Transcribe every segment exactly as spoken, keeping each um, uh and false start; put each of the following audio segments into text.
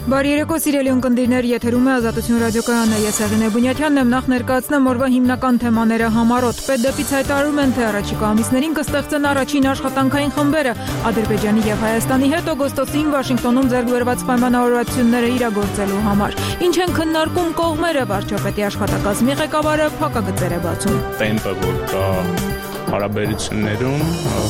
Բարի երեկո, սիրելի ունկնդիրներ, եթերում է Ազատություն ռադիոկայանը, ես Հեղինե Բունյաթյանն եմ, նախ ներկայացնեմ օրվա հիմնական թեմաները համառոտ։ Պետդեպից հայտարարում են, թե առաջիկա ամիսներին կստեղծեն առաջին աշխատանքային խմբերը Ադրբեջանի եւ Հայաստանի հետ օգոստոսին Վաշինգտոնում ձեռք բերված պայմանավորվածությունները իրագործելու համար։ Ինչ են քննարկում կողմերը, վարչապետի աշխատակազմի ղեկավարը փակագծեր է բացում։ Տեմպը, որ կա հարաբերություններում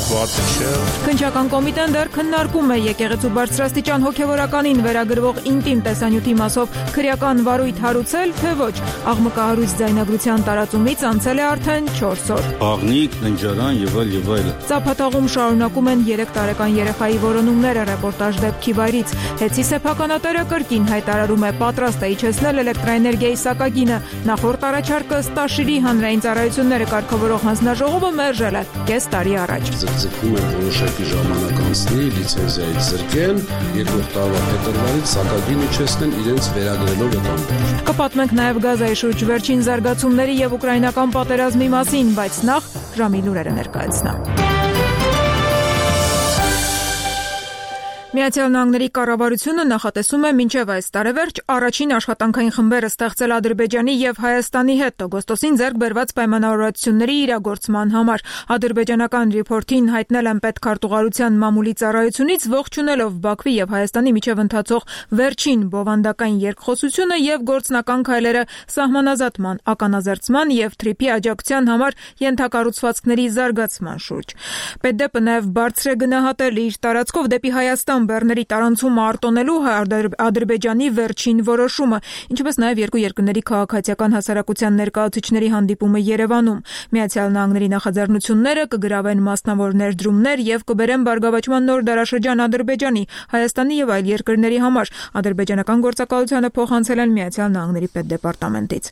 վատը չէ։ Քննչական կոմիտեն դեռ քննարկում է եկեղեցու բարձրաստիճան հոգևորականին վերագրվող ինտիմ տեսանյութի մասով քրեական վարույթ հարուցել, թե ոչ։ Աղմկահարույց ձայնագրության տարածումից անցել է արդեն չորս օր։ Աղնիկ, ննջարան եւ այլ եւ այլ։ Ծափաթաղում շարունակում են երեք տարեկան երեխայի որոնումները, ռեպորտաժ դեպքի վայրից։ Հեցի սեփականատերը կրկին հայտարարում է պատրաստ է իջեցնել էլեկտրաէներգիայի սակագինը։ Նախորդ առաջարկը Ստաշիրի հանրային ծառայությունները կարգավորող հանձնաժողովը մերժել է կես տարի առաջ։ Ձգձգում են որոշակի ժամանակ անցնի, լիցենզիայից զրկեն, երկրորդ տարվա փետրվարից սակագին իջեցնեն իրենց վերագրելով այդ ամբողջ։ Կպատմենք նաև Գազայի շուրջ վերջին զարգացումների եւ ուկրաինական պատերազմի մասին, բայց նախ ժամի լուրերը ներկայացնեմ։ Միացյալ Նահանգների կառավարությունը նախատեսում է մինչև այս տարեվերջ առաջին աշխատանքային խմբերը ստեղծել Ադրբեջանի եւ Հայաստանի հետ օգոստոսին ձեռք բերված պայմանավորվածությունների իրագործման համար։ Ադրբեջանական ռիփորթին հայտնել են պետքարտուղարության մամուլի ծառայությունից, ողջունելով Բաքվի եւ Հայաստանի միջև ընթացող վերջին բովանդակային երկխոսությունը եւ գործնական քայլերը սահմանազատման, ականազերծման եւ թրիփի աջակցության համար ենթակառուցվածքների զարգացման շուրջ։ Պետդեպը նաեւ բարձր է գնահատել իր տարածքով դեպի Հայաստան բեռների տարանցումը արտոնելու Ադրբեջանի վերջին որոշումը, ինչպես նաև երկու երկրների քաղաքացիական հասարակության ներկայացուցիչների հանդիպումը Երևանում։ Միացյալ Նահանգների նախաձեռնությունները կգրավեն մասնավոր ներդրումներ եւ կբերեն բարգավաճման նոր դարաշրջան Ադրբեջանի, Հայաստանի եւ այլ երկրների համար։ Ադրբեջանական գործակալությանը փոխանցել են Միացյալ Նահանգների պետդեպարտամենտից։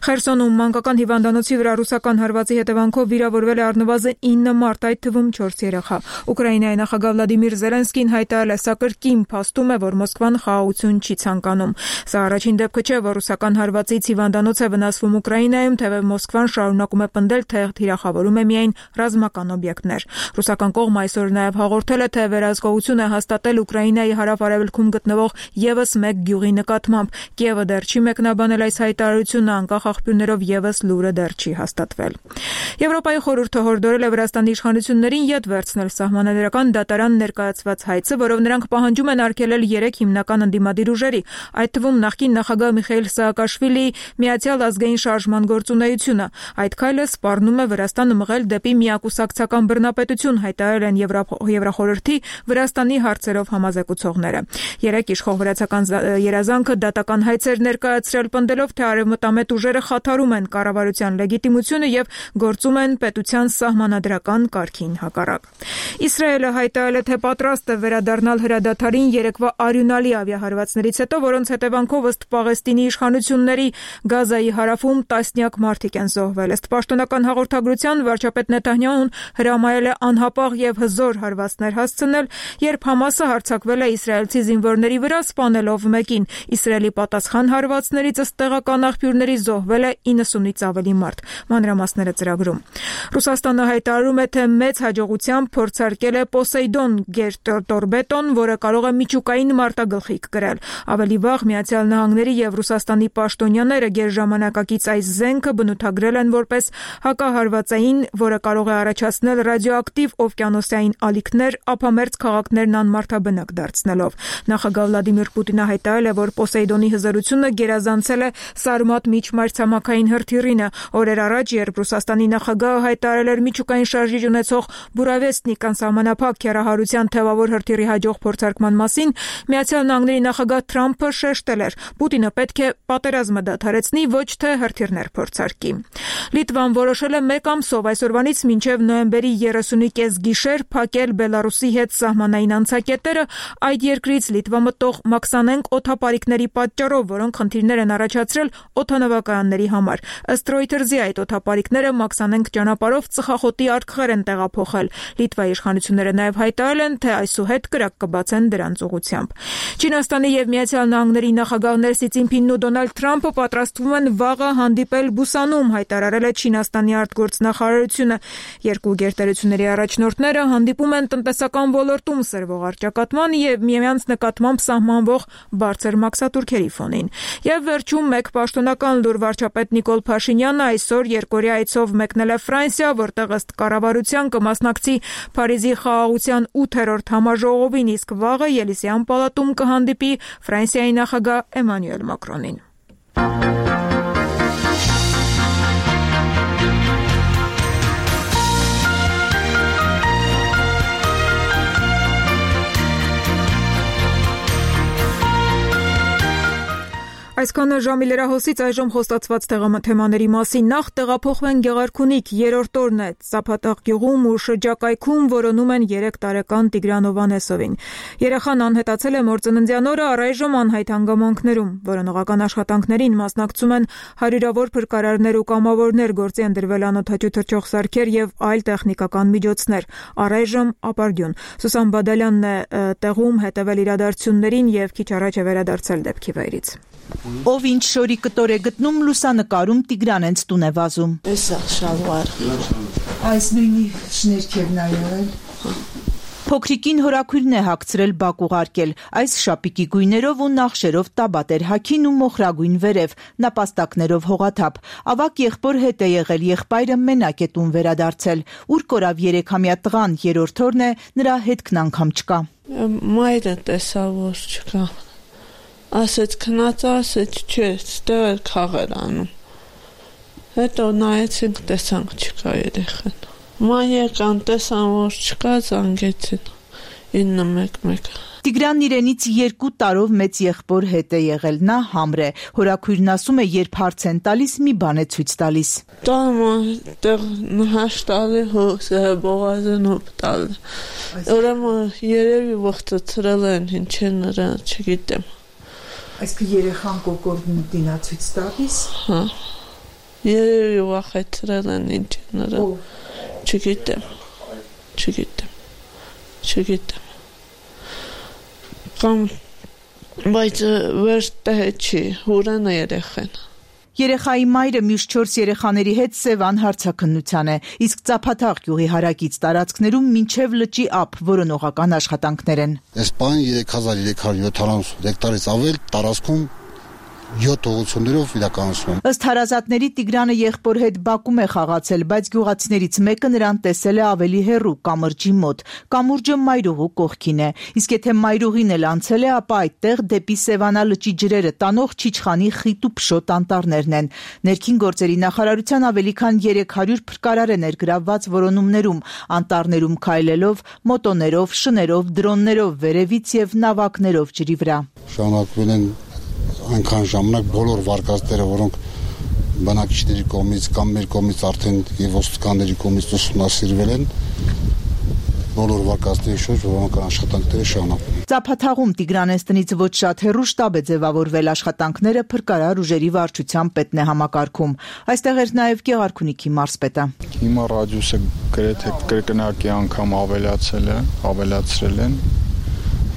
Խերսոնում մանկական հիվանդանոցի վրա ռուսական հարվածի հետևանքով վիրավորվել է առնվազն ինը մարդ, այդ թվում չորս երեխա։ Ուկրաինայի նախագահ Վլադիմիր Զելենսկին հայտարարել է, սա կրկին փաստում է, որ Մոսկվան խաղաղություն չի ցանկանում։ Սա առաջին դեպքը չէ, որ ռուսական հարվածից հիվանդանոց է վնասվում Ուկրաինայում, թեև Մոսկվան շարունակում է պնդել, թե թիրախավորում է միայն ռազմական օբյեկտներ։ Ռուսական կողմը այսօր նաև հաղորդել է, թե վերահսկողություն է հաստատել Ուկրաինայի հարավ-արևելքում գտնվող եւս մեկ գյուղի նկատմամբ։ Կիևը դեռ չի մեկնաբանել այս հայտարարությունը, անկախ աղբյուրներով եւս լուրը դեռ չի հաստատվել։ Եվրոպայի խորհուրդը հորդորել է Վրաստանի իշխանություններին յետ վերցնել սահմանադրական դատարան ներկայացված հայցը, որով նրանք պահանջում են արգելել երեք հիմնական ընդդիմադիր ուժերի, այդ թվում նախկին նախագահ Միխայիլ Սաակաշվիլիի Միացյալ ազգային շարժման գործունեությունը։ Այդ քայլը սպառնում է Վրաստանը մղել դեպի միակուսակցական բռնապետություն, հայտարարել են Եվրախորհրդի Վրաստանի հարցերով համազեկուցողները։ Երեք իշխող վրացական երազանքը դատական հայց էր ներկայացրել, պնդելով, թե արևմտամետ ուժերը խաթարում են կառավարության լեգիտիմությունը եւ գործում են պետության սահմանադրական կարգին հակառակ։ Իսրայելը հայտարարել է, թե պատրաստ է վերադառնալ հրադադարին երեկվա արյունալի ավիահարվածներից հետո, որոնց հետևանքով ըստ Պաղեստինի իշխանությունների Գազայի հարավում տասնյակ մարդիկ են զոհվել։ Ըստ պաշտոնական հաղորդագրության վարչապետ Նեթանյահուն հրամայել է անհապաղ եւ հզոր հարվածներ հասցնել, երբ Համասը հարձակվել է իսրայելցի զինվորների վրա, սպանելով մեկին։ Իսրայելի պատասխան հարվածներից ըստ տեղական աղբյուրների զոհվել է իննսունից ավելի մարդ։ Մանրամասները ծրագրում։ Ռուսաստանը հայտարարում է, թե մեծ հաջողությամբ փորձարկել է Պոսեյդոն գերտորպեդոն, որը կարող է միջուկային մարտագլխիկ կրել։ Ավելի վաղ Միացյալ Նահանգների եւ Ռուսաստանի պաշտոնյաները գերժամանակակից այս զենքը բնութագրել են որպես հակահարվածային, որը կարող է առաջացնել ռադիոակտիվ օվկիանոսային ալիքներ, ափամերձ քաղաքներն անմարդաբնակ դարձնելով։ Նախագահ Վլադիմիր Պուտինը հայտարարել է, որ Պոսեյդոնի հզորությունը գերազանցել է Սարմատ միջմայրցամաքային հրթիռինը։ Օրեր առաջ, երբ Ռուսաստանի նախագահը հայտարարել էր միջուկային շարժիչ ունեցող Բուրավեստնիկ անսահմանափակ քեռահարության թեւավոր հրթիռի հաջող փորձարկման մասին, Միացյալ Նահանգների նախագահ Թրամփը շեշտել էր. Պուտինը պետք է պատերազմը դադարեցնի, ոչ թե հրթիռներ փորձարկի։ Լիտվան որոշել է մեկ ամսով այսօրվանից մինչև նոյեմբերի երեսունի կես գիշեր փակել Բելարուսի հետ սահմանային անցակետերը այդ երկրից Լիտվա մտող Մաքսանենք օդապարիկների պատճառով, որոնք խնդիրներ են առաջացրել օդանավակայանների համար։ Ըստ Reuters-ի այդ օդապարիկները Մաքսանենք ճանապարհով ծխախոտի արկղեր են տեղափոխել։ Լիտվայի իշխանությունները նաև հայտարարել են, թե այսուհետ կրակ կբացեն դրանց ուղղությամբ։ Չինաստանի եւ Միացյալ Նահանգների նախագահներ Սի Ցզինփինն ու Դոնալդ Թրամփը պատրաստվում են վաղը հանդիպել Բուսանում, հայտարարել է Չինաստանի արտգործնախարարությունը։ Երկու գերտերությունների առաջնորդները հանդիպում են տնտեսական ոլորտում սրվող առճակատման եւ միմյանց նկատմամբ սահմանվող բարձր մաքսատուրքերի ֆոնին։ Եվ վերջում մեկ պաշտոնական լուր վարչապետ Նիկոլ Փաշինյանը այսօր երկօրյա այցով մեկնել է Ֆրանսիա, որտեղ ըստ կառավարության կմասնակցի Փարիզի խաղաղության ութերորդ համաժողովին, իսկ վաղը Ելիսեյան պալատում կհանդիպի Ֆրանսիայի նախագահ Էմանուել Մակրոնին։ Այսքանը ժամի լրահոսից այժմ խոստացված թեմաների մասին։ Նախ տեղափոխվեն Գեղարքունիք, երրորդ օրն է Ծափատաղ գյուղում ու շրջակայքում որոնում են երեք տարեկան Տիգրան Հովհաննեսովին։ Երեխան անհետացել է մործննդյան օրը, առայժմ անհայտ հանգամանքներում։ Որոնողական աշխատանքներին մասնակցում են հարյուրավոր փրկարարներ ու կամավորներ, գործի են դրվել անօդաչու թռչող սարքեր եւ այլ տեխնիկական միջոցներ։ Առայժմ ապարդյուն։ Սուսան Բադալյանն է տեղում հետևել իրադարձություններին եւ քիչ առաջ է վերադարձել դեպքի վայրից։ Ով ինչ շորի կտոր է գտնում, լուսանկարում Տիգրան հենց տուն է վազում։ Էսա շալվար։ Այս նույնի շներքերն ա եղել։ Փոքրիկին հորաքույրն է հագցրել բակ ուղարկել, այս շապիկի գույներով ու նախշերով տաբատ էր հագին ու մոխրագույն վերև, նապաստակներով հողաթափ։ Ավակ եղբոր հետ է եղել, եղբայրը մենակ է տուն վերադարձել։ Ուր կորավ երեքամյա տղան, երրորդ օրն է, նրա հետքն անգամ չկա։ Մայրը տեսավ, որ չկա։ Ասեց քնած, ասեց չէ, ստեղ էր խաղեր անում։ Հետո նայեցինք, տեսանք չկա երեխան։ Ման եկան, տեսան, որ չկա, զանգեցին ինը մեկ մեկ։ Տիգրանն իրենից երկու տարով մեծ եղբոր հետ է եղել, նա համր է։ Հորաքույրն ասում է, երբ հարց են տալիս, մի բան է ցույց տալիս։ Տամ տեղ նահաշտալի հոսը բողազն հոպտալ։ Ուրեմն երևի ողջացրել են, ինչ են նրա, չգիտեմ։ Այսինքն երեխան կոկորդն դինացույց տալիս։ Հա։ Երևի վախեցրել են ինչ նրա։ Չգիտեմ։ Չգիտեմ։ Չգիտեմ։ Կամ բայց վերջտե չի, հուրան է երեխան։ Երեխայի մայրը մյուս չորս երեխաների հետ Սևան հարցաքննության է, իսկ Ծափաթաղ գյուղի հարակից տարածքներում մինչև լճի ափ որոնողական աշխատանքներ են։ Այս բանը երեք հազար երեք հարյուր յոթանասուն հեկտարից ավել տարածքում յոթ ուղղություններով իրականացում են։ Ըստ հարազատների Տիգրանը եղբոր հետ բակում է խաղացել, բայց գյուղացիներից մեկը նրան տեսել է ավելի հեռու կամրջի մոտ։ Կամուրջը մայրուղու կողքին է, իսկ եթե մայրուղին էլ անցել է, ապա այդտեղ դեպի Սևանա լճի ջրերը տանող Չիչխանի խիտ ու փշոտ անտառներն են։ Ներքին գործերի նախարարության ավելի քան երեք հարյուր փրկարար է ներգրավված որոնումներում, անտառներում քայլելով, մոտոներով, շներով, դրոններով, վերևից եւ նավակներով ջրի վրա։ Շարունակվել են այնքան ժամանակ բոլոր վարկածները, որոնք բնակիչների կողմից կամ մեր կողմից արդեն եւ ոստիկանների կողմից ուսումնասիրվել են, բոլոր վարկածների շուրջ որոնական աշխատանքները շարունակվում են։ Ծափաթաղում Տիգրանենց տնից ոչ շատ հեռու շտաբ է ձևավորվել, աշխատանքները փրկարար ուժերի վարչության պետն է համակարգում։ Այստեղ էր նաեւ Գեղարքունիքի մարզպետը։ Հիմա ռադիուսը գրեթե կրկնակի անգամ ավելացել է, ավելացրել են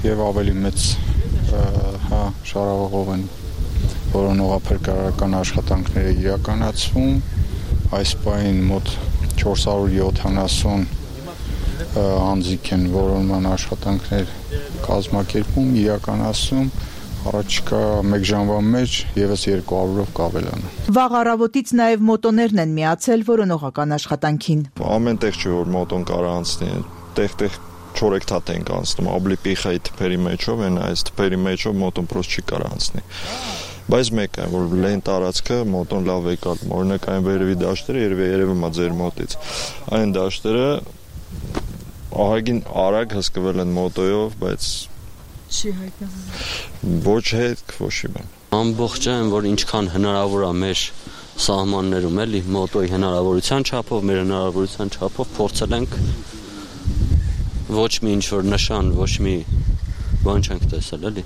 եւ ավելի մեծ հա շարավողով են որոնողափրկարարական աշխատանքները իրականացվում, այս պահին մոտ չորս հարյուր յոթանասուն անձիկ են որոնման աշխատանքներ կազմակերպում, իրականացում, առաջիկա մեկ ժամվա մեջ եւս երկու հարյուրով կավելանա։ Վաղ առավոտից նաեւ մոտոներն են միացել որոնողական աշխատանքին։ Ամեն տեղ չէ որ մոտոն կարա անցնի, տեղ-տեղ չորեքթաթ ենք անցնում, աբլի պիխայի թփերի մեջով են, այս թփերի մեջով մոտոն պրոս չի կարա անցնի։ Բայց մեկ է, որ լեն տարածքը մոտոն լավ է կալում, օրինակ այն վերևի դաշտերը երևի երևում է ձեր մոտից։ Այն դաշտերը ահագին արագ հսկվել են մոտոյով, բայց չի հայտնվում։ Ոչ հետ, ոչ բան։ Ամբողջ այն, որ ինչքան հնարավոր է մեր սահմաններում, էլի մոտոյի հնարավորության չափով, մեր հնարավորության չափով փորձել ենք ոչ մի ինչ-որ նշան, ոչ մի բան չենք տեսել, էլի։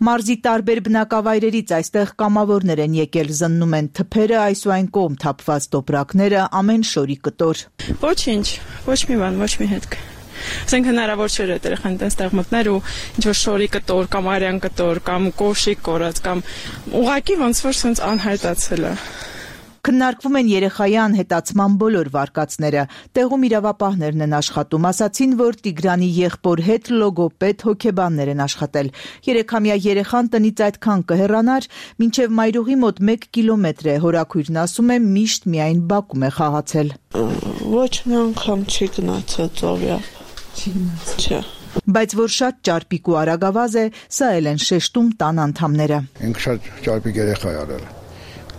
Մարզի տարբեր բնակավայրերից այստեղ կամավորներ են եկել, զննում են թփերը, այս ու այն կողմ թափված տոպրակները, ամեն շորի կտոր։ Ոչինչ, ոչ մի բան, ոչ մի հետք։ Ասենք հնարավոր չէր այդ երեխան այդտեղ մտներ ու ինչ որ շորի կտոր կամ արյան կտոր կամ կոշիկ կորած կամ ուղակի ոնց որ sense անհայտացել է։ Քննարկվում են երեխայի անհետացման բոլոր վարկածները։ Տեղում իրավապահներն են աշխատում, ասացին, որ Տիգրանի եղբոր հետ լոգոպեդ հոգեբաններ են աշխատել։ Երեքամյա երեխան տնից այդքան կհեռանար, մինչև մայրուղի մոտ մեկ կիլոմետր է, հորաքույրն ասում է միշտ միայն բակում է խաղացել։ Ոչ մի անգամ չի գնացել ծովյապ։ Չի գնացել։ Չէ։ Բայց որ շատ ճարպիկ ու արագավազ է, սա էլ են շեշտում տան անդամները։ Ինքը շատ ճարպիկ երեխա է արել։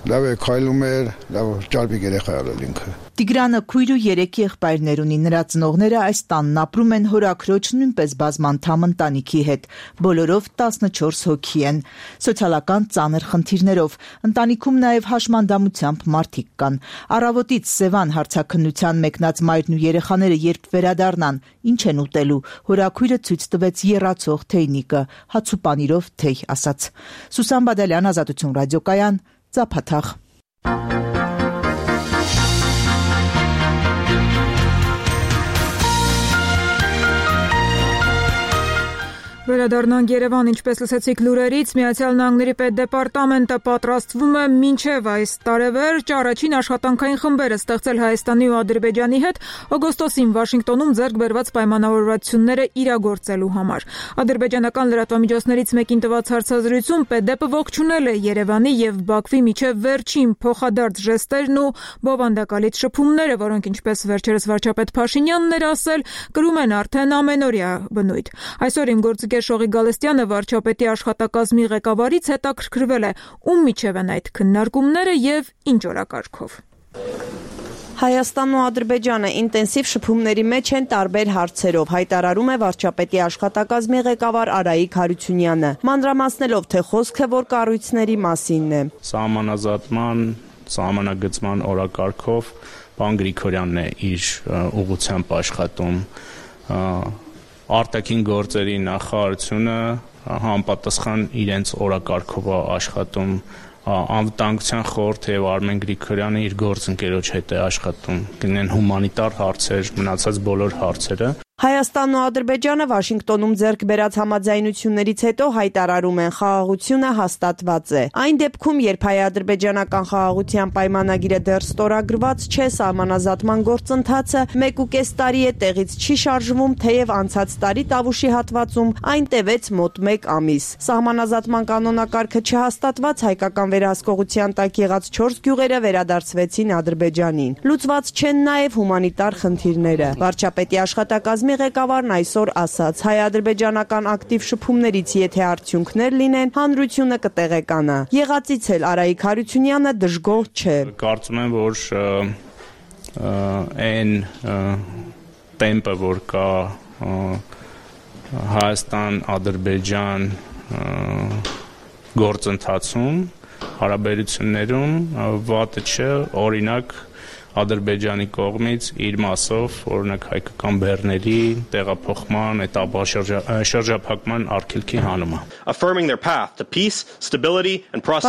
Լավ է քայլում էր, լավ ճարպիկ երեխա է արել ինքը։ Տիգրանը քույր ու երեք եղբայրներ ունի, նրա ծնողները այս տանն ապրում են հորաքրոջ նույնպես բազմանդամ ընտանիքի հետ, բոլորով տասնչորս հոգի են, սոցիալական ծանր խնդիրներով, ընտանիքում նաև հաշմանդամությամբ մարդիկ կան։ Առավոտից Սևան հարցաքննության մեկնած մայրն ու երեխաները երբ վերադառնան, ինչ են ուտելու, հորաքույրը ցույց տվեց եռացող թեյնիկը, հաց ու պանիրով թեյ ասաց։ Սուսան Բադալյան, Ազատություն ռադիոկայան, Ծափաթաղ։ Վերադառնանք Երևան, ինչպես լսեցիք լուրերից, Միացյալ Նահանգների պետդեպարտամենտը պատրաստվում է մինչև այս տարեվերջ առաջին աշխատանքային խմբերը ստեղծել Հայաստանի ու Ադրբեջանի հետ օգոստոսին Վաշինգտոնում ձեռք բերված պայմանավորվածությունները իրագործելու համար։ Ադրբեջանական լրատվամիջոցներից մեկին տված հարցազրույցում պետդեպը ողջունել է Երևանի եւ Բաքվի միջև վերջին փոխադարձ ժեստերն ու բովանդակալից շփումները, որոնք, ինչպես վերջերս վարչապետ Փաշինյանն էր ասել, կրում են արդեն ամենօրյա բնույթ։ Այսօր իմ գործ Շողի Գալստյանը վարչապետի աշխատակազմի ղեկավարից հետաքրքրվել է, ում միջև են այդ քննարկումները եւ ինչ օրակարգով։ Հայաստանն ու Ադրբեջանը ինտենսիվ շփումների մեջ են տարբեր հարցերով, հայտարարում է վարչապետի աշխատակազմի ղեկավար Արայիկ Հարությունյանը, մանրամասնելով, թե խոսքը որ կառույցների մասինն է։ Սահմանազատման, սահմանագծման օրակարգով պարոն Գրիգորյանն է իր ուղղությամբ աշխատում։ Արտաքին գործերի նախարարությունը համապատասխան իրենց օրակարգով աշխատում, անվտանգության խորհուրդը եւ Արմեն Գրիգորյանը իր գործընկերոջ հետ է աշխատում, գնեն հումանիտար հարցեր, մնացած բոլոր հարցերը։ Հայաստանն ու Ադրբեջանը Վաշինգտոնում ձեռք բերած համաձայնություններից հետո հայտարարում են, խաղաղությունը հաստատված է։ Այն դեպքում, երբ հայ-ադրբեջանական խաղաղության պայմանագիրը դեռ ստորագրված չէ, սահմանազատման գործընթացը մեկ ու կես տարի է տեղից չի շարժվում, թեև անցած տարի Տավուշի հատվածում այն տևեց մոտ մեկ ամիս։ Սահմանազատման կանոնակարգը չհաստատված հայկական վերահսկողության տակ եղած չորս գյուղերը վերադարձվեցին Ադրբեջանին։ Լուծված չեն նաև հումանիտար խնդիրները։ Վարչապետի աշխատակազմի ղեկավարն այսօր ասաց, հայ-ադրբեջանական ակտիվ շփումներից եթե արդյունքներ լինեն, հանրությունը կտեղեկանա։ Եղածից էլ Արայիկ Հարությունյանը դժգոհ չէ։ Կարծում եմ, որ այն տեմպը, որ կա Հայաստան-Ադրբեջան գործընթացում, հարաբերություններում վատը չէ, օրինակ Ադրբեջանի կողմից իր մասով, օրինակ հայկական բեռների տեղափոխման, շրջափակման արգելքի հանումը։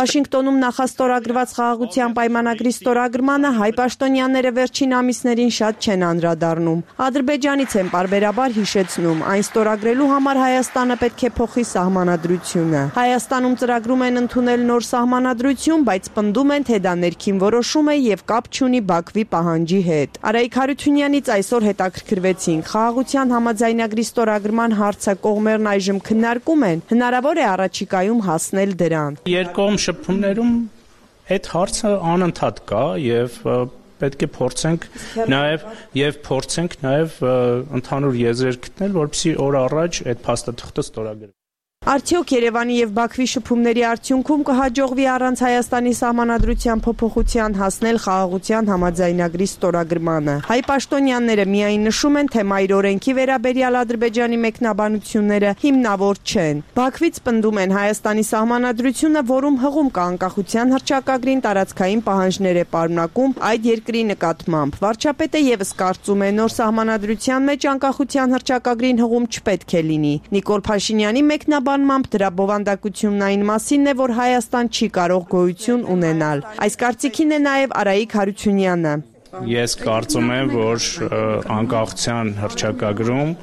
Վաշինգտոնում նախաստորագրված խաղաղության պայմանագրի ստորագրմանը հայ պաշտոնյաները վերջին ամիսներին շատ չեն անդրադառնում։ Ադրբեջանից են պարբերաբար հիշեցնում, այն ստորագրելու համար Հայաստանը պետք է փոխի սահմանադրությունը։ Հայաստանում ծրագրում են ընդունել նոր սահմանադրություն, բայց պնդում են, թե դա ներքին որոշում է եւ կապ չունի Բաքվի պահանջի հետ։ Արայիկ Հարությունյանից այսօր հետաքրքրվեցին, խաղաղության համաձայնագրի ստորագրման հարցը կողմերն այժմ քննարկում են, հնարավոր է առաջիկայում հասնել դրան։ Երկկողմ շփումներում այդ հարցը անընդհատ կա եւ պետք է փորձենք նաեւ եւ փորձենք նաեւ ընդհանուր եզրեր գտնել, որպեսզի օր առաջ այդ փաստաթղթը ստորագրվի։ Արդյոք Երևանի եւ Բաքվի շփումների արդյունքում կհաջողվի առանց Հայաստանի սահմանադրության փոփոխության հասնել խաղաղության համաձայնագրի ստորագրմանը։ Հայ պաշտոնյաները միայն նշում են, թե մայր օրենքի վերաբերյալ Ադրբեջանի մեկնաբանությունները հիմնավոր չեն։ Բաքվից պնդում են Հայաստանի սահմանադրությունը, որում հղում կա անկախության հռչակագրին տարածքային պահանջներ է պարունակում այդ երկրի նկատմամբ։ Վարչապետը եւս կարծում է, նոր սահմանադրության մեջ անկախության հռչակագրին հղում չպետք է լինի։ Նիկոլ Փաշինյանի մեկնաբանությամբ դրա բովանդակությունն այն մասինն է, որ Հայաստան չի կարող գոյություն ունենալ։ Այս կարծիքին է նաև Արայիկ Հարությունյանը։ Ես կարծում եմ, որ անկախության հռչակագրում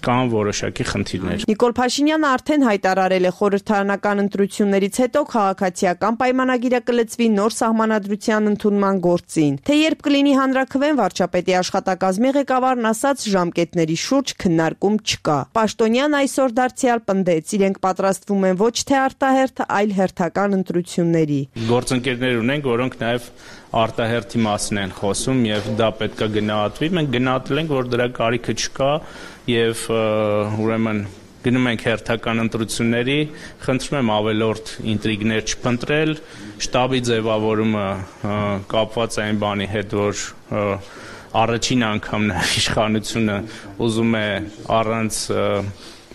կան որոշակի խնդիրներ։ Նիկոլ Փաշինյանը արդեն հայտարարել է խորհրդարանական ընտրություններից հետո քաղաքացիական պայմանագիրը կլծվի նոր սահմանադրության ընդունման գործին։ Թե երբ կլինի հանրաքվեն, վարչապետի աշխատակազմի ղեկավարն ասաց, ժամկետների շուրջ քննարկում չկա։ Պաշտոնյան այսօր դարձյալ պնդեց, իրենք պատրաստվում են ոչ թե արտահերթ, այլ հերթական ընտրությունների։ Գործընկերներ ունենք, որոնք նաև արտահերթի մասին են խոսում եւ դա պետք է գնահատվի։ Մենք գնահատել ենք, որ դրա կարիքը չկա եւ ուրեմն գնում ենք հերթական ընտրությունների, խնդրում եմ ավելորդ ինտրիգներ չփնտրել, շտաբի ձևավորումը կապված է այն բանի հետ, որ առաջին անգամն է իշխանությունը ուզում է առանց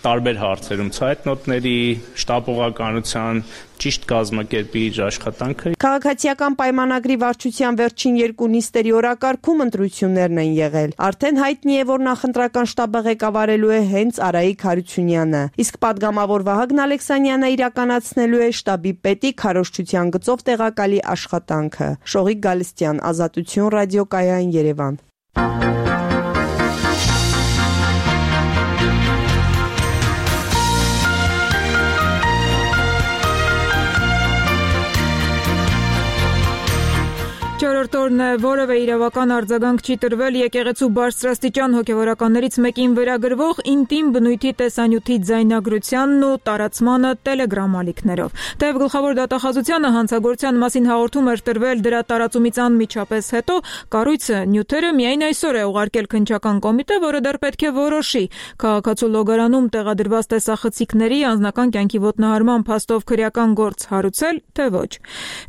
տարբեր հարցերում ցայտնոտների, շտապողականության ճիշտ կազմակերպի իր աշխատանքը։ Քաղաքացիական պայմանագրի վարչության վերջին երկու նիստերի օրակարգում ընտրություններն են եղել։ Արդեն հայտնի է, որ նախընտրական շտաբը ղեկավարելու է հենց Արայիկ Հարությունյանը, իսկ падգամավոր Վահագն Ալեքսանյանը իրականացնելու է շտաբի պետի քարոզչության գծով տեղակալի աշխատանքը։ Շողիկ Գալստյան, Ազատություն, ռադիոկայան, Երևան։ Չորրորդ օրն է, որևէ իրավական արձագանք չի տրվել եկեղեցու բարձրաստիճան հոգևորականներից մեկին վերագրվող ինտիմ բնույթի տեսանյութի ձայնագրությանն ու տարածմանը տելեգրամ ալիքներով։ Թեև գլխավոր դատախազությանը հանցագործության մասին հաղորդում էր տրվել դրա տարածումից անմիջապես հետո, կառույցը նյութերը միայն այսօր է ուղարկել քննչական կոմիտե, որը դեռ պետք է որոշի քաղաքացու լոգարանում տեղադրված տեսախցիկների անձնական կյանքի ոտնահարման փաստով քրեական գործ հարուցել, թե ոչ։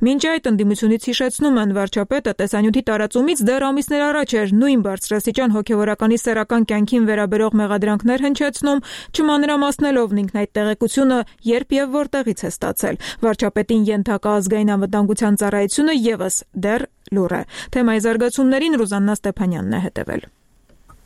Մինչ այդ ընդդիմությունից հիշեցնում են վարչապետը տեսանյութի տարածումից դեռ ամիսներ առաջ էր նույն բարձրաստիճան հոգևորականի սեռական կյանքին վերաբերող մեղադրանքներ հնչեցնում, չմանրամասնելով ինքն այդ տեղեկությունը երբ եւ որտեղից է ստացել։ Վարչապետին ենթակա ազգային անվտանգության ծառայությունը եւս դեռ լուռ է։ Թեմայի զարգացումներին Ռուզաննա Ստեփանյանն է հետևել։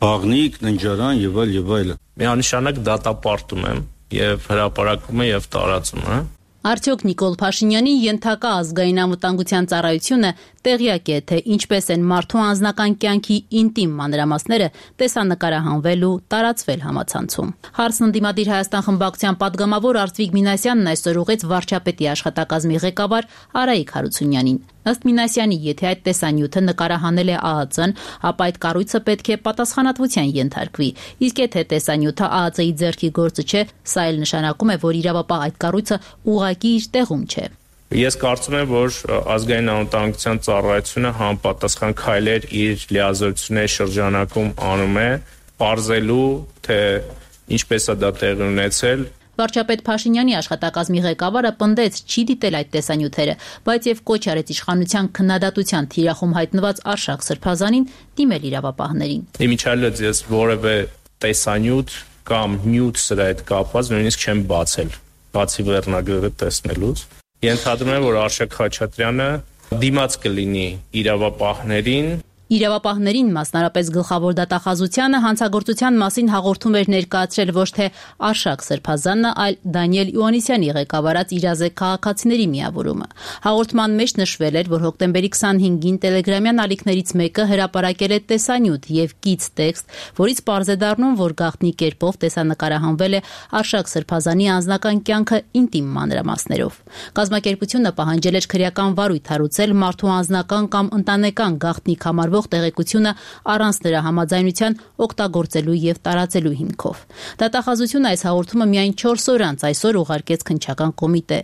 Բաղնիկ, ննջարան եւ այլ եւ այլը։ Միանշանակ դատապարտում եմ եւ հրապարակումը եւ տարածումը։ Արդյոք Նիկոլ Փաշինյանի ենթակա ազգային անվտանգության ծառայությունը տեղյակ է, թե ինչպես են մարդու անձնական կյանքի ինտիմ մանրամասները տեսանկարահանվել ու տարածվել համացանցում։ Հարցն ընդդիմադիր Հայաստան խմբակցության падգամավոր Արտվիկ Մինասյանն այսօր ուղղեց վարչապետի աշխատակազմի ղեկավար Արայիկ Հարությունյանին։ Ըստ Մինասյանի, եթե այդ տեսանյութը նկարահանել է ԱԱԾ-ն, ապա այդ կառույցը պետք է պատասխանատվության ենթարկվի։ Իսկ եթե տեսանյութը ԱԱԾ-ի ձեռքի գործը չէ, սա էլ նշանակում է, որ իրավապահ այդ կառույցը ուղղակի իր տեղում չէ։ Ես կարծում եմ, որ ազգային անվտանգության ծառայությունը համապատասխան քայլեր իր լիազորությունների շրջանակում անում է, պարզելու, թե ինչպես է դա տեղի ունեցել։ Վարչապետ Փաշինյանի աշխատակազմի ղեկավարը պնդեց չի դիտել այդ տեսանյութերը, բայց եւ կոչ արեց իշխանության քննադատության թիրախում հայտնված Արշակ Սրբազանին դիմել իրավապահներին։ Իմիջիալից ես որևէ տեսանյութ կամ նյութ սրա հետ կապված նույնիսկ չեմ բացել, բացի վերնագրերը տեսնելուց։ Ենթադրում եմ, որ Արշակ Խաչատրյանը դիմաց կլինի իրավապահներին։ Իրավապահներին, մասնարապես գլխավոր դատախազությանը, հանցագործության մասին հաղորդում էր ներկայացրել ոչ թե Արշակ Սրբազանը, այլ Դանիել Իոաննիսյանի ղեկավարած իրազեկ քաղաքացիների միավորումը։ Հաղորդման մեջ նշվել էր, որ հոկտեմբերի քսանհինգին տելեգրամյան ալիքներից մեկը հրապարակել է տեսանյութ եւ կից տեքստ, որից պարզ է դառնում, որ գաղտնի կերպով տեսանկարահանվել է Արշակ Սրբազանի անձնական կյանքը ինտիմ մանրամասներով։ Կազմակերպությունը պահանջել էր քրեական վարույթ հարուցել մարդու անձնական կամ ընտանեկան գաղտնի համարվող տեղեկությունը առանց նրա համաձայնության օգտագործելու եւ տարածելու հիմքով։ Դատախազությունը այս հաղորդումը միայն չորս օր անց այսօր ուղարկեց քննչական կոմիտե։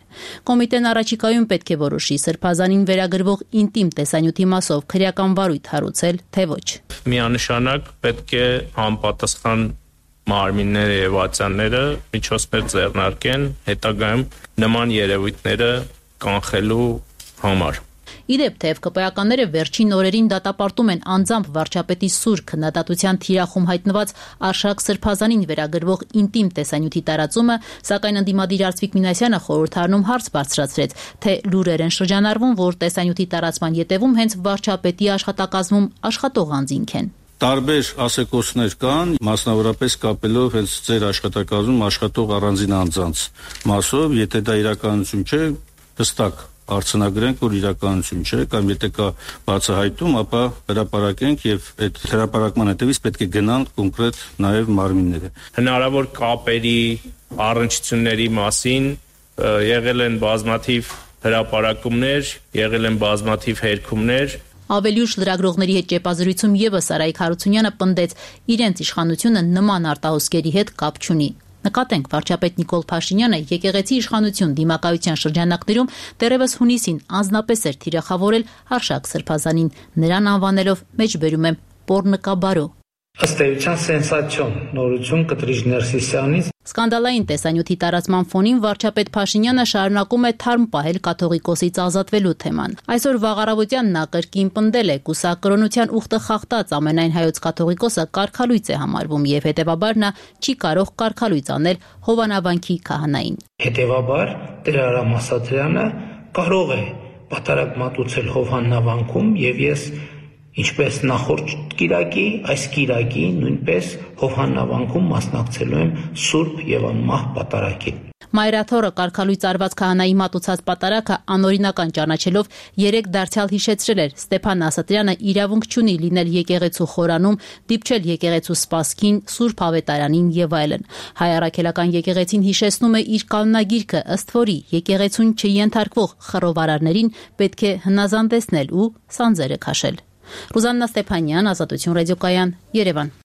Կոմիտեն առաջիկայում պետք է որոշի Սրբազանին վերագրվող ինտիմ տեսանյութի մասով քրեական վարույթ հարուցել, թե ոչ։ Միանշանակ պետք է համապատասխան մարմինները եւ ատյանները միջոցներ ձեռնարկեն հետագայում նման երևույթները կանխելու համար։ Իդեպ թեև ԿՊԱ-ականները վերջին օրերին դատապարտում են անձամբ վարչապետի սուր քննադատության թիրախում հայտնված Արշակ Սրբազանին վերագրվող ինտիմ տեսանյութի տարածումը, սակայն ընդդիմադիր Արտվիկ Մինասյանը խորհրդարանում հարց բարձրացրեց, թե լուրեր են շրջանառվում, որ տեսանյութի տարածման ետևում հենց վարչապետի աշխատակազմում աշխատող անձինք են։ Տարբեր ասեկոսներ կան, մասնավորապես կապելով հենց ձեր աշխատակազմում աշխատող առանձին անձանց մասով, եթե դա իրականություն չէ, հստակ արձանագրենք, որ իրականություն չէ, կամ եթե կա բացահայտում, ապա հրապարակենք եւ այդ հրապարակման հետևից պետք է գնան կոնկրետ նաեւ մարմինները։ Հնարավոր կապերի, առնչությունների մասին եղել են բազմաթիվ հրապարակումներ, եղել են բազմաթիվ հերքումներ։ Ավելի ուշ լրագրողների հետ ճեպազրույցում եւս Արայիկ Հարությունյանը պնդեց, իրենց իշխանությունը նման արտահոսքերի հետ կապ չունի։ Նկատենք, վարչապետ Նիկոլ Փաշինյանը եկեղեցի իշխանություն դիմակայության շրջանակներում դեռևս հունիսին անձնապես էր թիրախավորել Արշակ Սրբազանին, նրան անվանելով մեջբերում եմ Պոռնկաբարո։ Ըստ էության սենսացիոն նորություն Կտրիժ Ներսիսյանից։ Սկանդալային տեսանյութի տարածման ֆոնին վարչապետ Փաշինյանը շարունակում է թարմ պահել կաթողիկոսից ազատվելու թեման։ Այսօր վաղարավոտյան նա կրկին պնդել է, կուսակրոնության ուխտը խախտած ամենայն հայոց կաթողիկոսը կարգալույծ է համարվում եւ հետեւաբար նա չի կարող կարգալույծ անել Հովանավանքի քահանային։ Հետեւաբար Տեր Արամ Ասատրյանը կարող է պատարագ մատուցել Հովանավանքում եւ ես ինչպես նախորդ կիրակի, այս կիրակի նույնպես Հովհաննավանքում մասնակցելու եմ Սուրբ եւ անմահ պատարագին։ Մայրաթորը կարգալույծ արված քահանայի մատուցած պատարագը անօրինական ճանաչելով երեք դարձյալ հիշեցրել էր Ստեփան Ասատրյանը իրավունք չունի լինել եկեղեցու խորանում, դիպչել եկեղեցու սպասքին, Սուրբ Ավետարանին եւ այլն։ Հայ առաքելական եկեղեցին հիշեցնում է իր կանոնագիրքը, ըստ որի եկեղեցուն չենթարկվող խռովարարներին պետք է հնազանդեցնել ու սանձերը քաշել։ Ռուզաննա Ստեփանյան, Ազատություն ռադիոկայան, Երևան։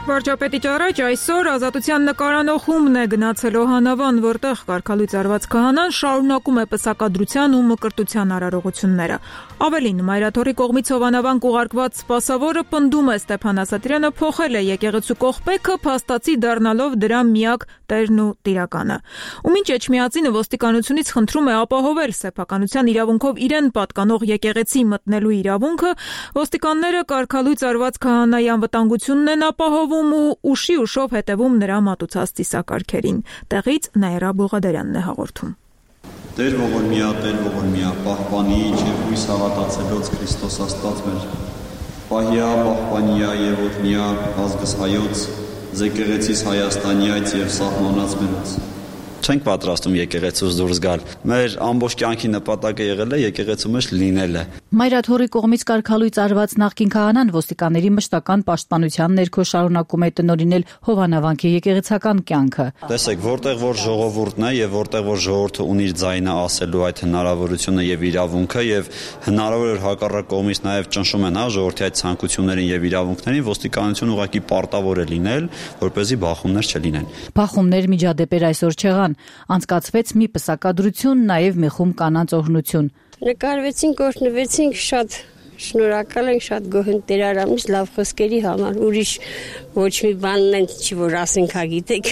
Վարչապետի ճառաջ այսօր Ազատության նկարանոխումն է գնացել Հովանավան, որտեղ կարգալույծ արված քահանան շարունակում է պսակադրության ու մկրտության արարողությունները։ Ավելին, Մայրաթորի կողմից Հովանավան կուղարկված սպասավորը պնդում է Ստեփան Ասատրյանը փոխել է եկեղեցու կողպեքը, փաստացի դառնալով դրա միակ տերն ու տիրականը։ Ու մինչ Էջմիածինը ոստիկանությունից խնդրում է ապահովել սեփականության իրավունքով իրեն պատկանող եկեղեցի մտնելու իրավունքը, ոստիկանները կարգալույծ արված քահանայի անվտանգությունն են ապահովում ու ուշի ուշով հետևում նրա մատուցած ծիսակարգերին։ Տեղից Նաիրա Բուղադարյանն է հաղորդում։ Տեր ողորմյա, Տեր ողորմյա, պահպանի եւ հույս հավատացելոց Քրիստոս Աստված մեր, պահյա, պահպանյա եւ օգնյա ազգս հայոց, եկեղեցիս Հայաստանյաց եւ սահմանած մերոց։ Չենք պատրաստում եկեղեցուց դուրս գալ։ Մեր ամբողջ կյանքի նպատակը եղել է եկեղեցու մեջ լինելը։ Մայրաթորի կողմից կարգալույծ արված նախկին քահանան ոստիկանների մշտական պաշտպանության ներքո շարունակում է տնօրինել Հովանավանքի եկեղեցական կյանքը։ Տեսեք, որտեղ որ ժողովուրդն է եւ որտեղ որ ժողովուրդը ունի իր ձայնը ասելու այդ հնարավորությունը եւ իրավունքը եւ հնարավոր է հակառակ կողմից նաեւ ճնշում են հա ժողովրդի այդ ցանկություններին եւ իրավունքներին, ոստիկանությունը ուղղակի պարտավոր է լինել, որպեսզի բախումներ չլինեն։ Բախումներ միջադեպեր այսօր չեղան, անցկացվեց մի պսակադրություն, նաեւ մի խումբ կանանց օրհնություն։ Նկարվեցինք, օրհնվեցինք, շատ շնորհակալ ենք, շատ գոհ ենք Տեր Արամից լավ խոսքերի համար, ուրիշ ոչ մի բանն են չի որ ասենք, հա գիտեք։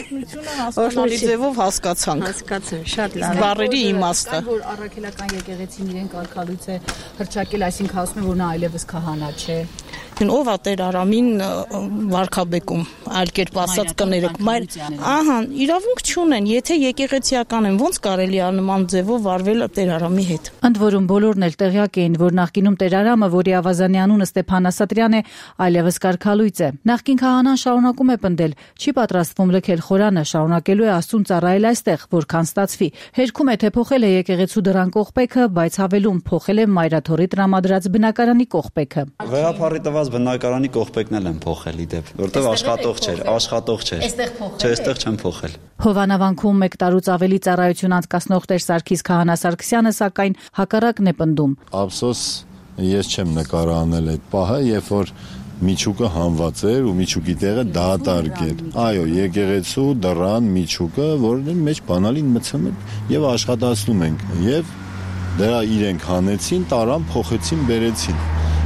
Հասկանալի ձևով հասկացանք։ Հասկացան, շատ լավ։ Բառերի իմաստը։ Որ առաքելական եկեղեցին իրեն կարգալույծ է հրճակել, այսինքն ասում է, որ նա այլևս քահանա չէ։ Ով է Տեր Արամին վարքաբեկում, այլ կերպ ասած կներեք, մայր, ահա, իրավունք չունեն, եթե եկեղեցիական են, ոնց կարելի է նման ձևով վարվել Տեր Արամի հետ։ Ընդ որում բոլորն էլ տեղյակ էին, որ նախկինում Տեր Արամը, որի ավազանի անունը Ստեփան Ասատրյան է, այլևս կարգալույծ է։ Նախկին քահանան շարունակում է պնդել, չի պատրաստվում լքել խորանը, շարունակելու է Աստծուն ծառայել այստեղ, որքան ստացվի։ Հերքում է, թե փոխել է եկեղեցու դրան կողպեքը, բայց հավելում փոխել է Մայրաթորի տրամադրած բնակարանի կողպեքը։ Վերափառի տված բնակարանի կողպեքն էլ են փոխել իդեպ, որտեղ աշխատող չէր, աշխատող չէր։ Չէ, այստեղ չեն փոխել։ Հովանավանքում մեկ տարուց ավելի ծառայություն անցկացնող Տեր Սարգիս Քահանա Սարգսյանը սակայն հակառակն է պնդում։ Ափսոս ես չեմ նկարահանել այդ պահը, երբ որ միջուկը հանված էր ու միջուկի տեղը դատարկ էր։ Այո, եկեղեցու դռան միջուկը, որի մեջ բանալին մցում են եւ աշխատացնում ենք եւ դրա իրենք հանեցին, տարան, փոխեցին, բերեցին։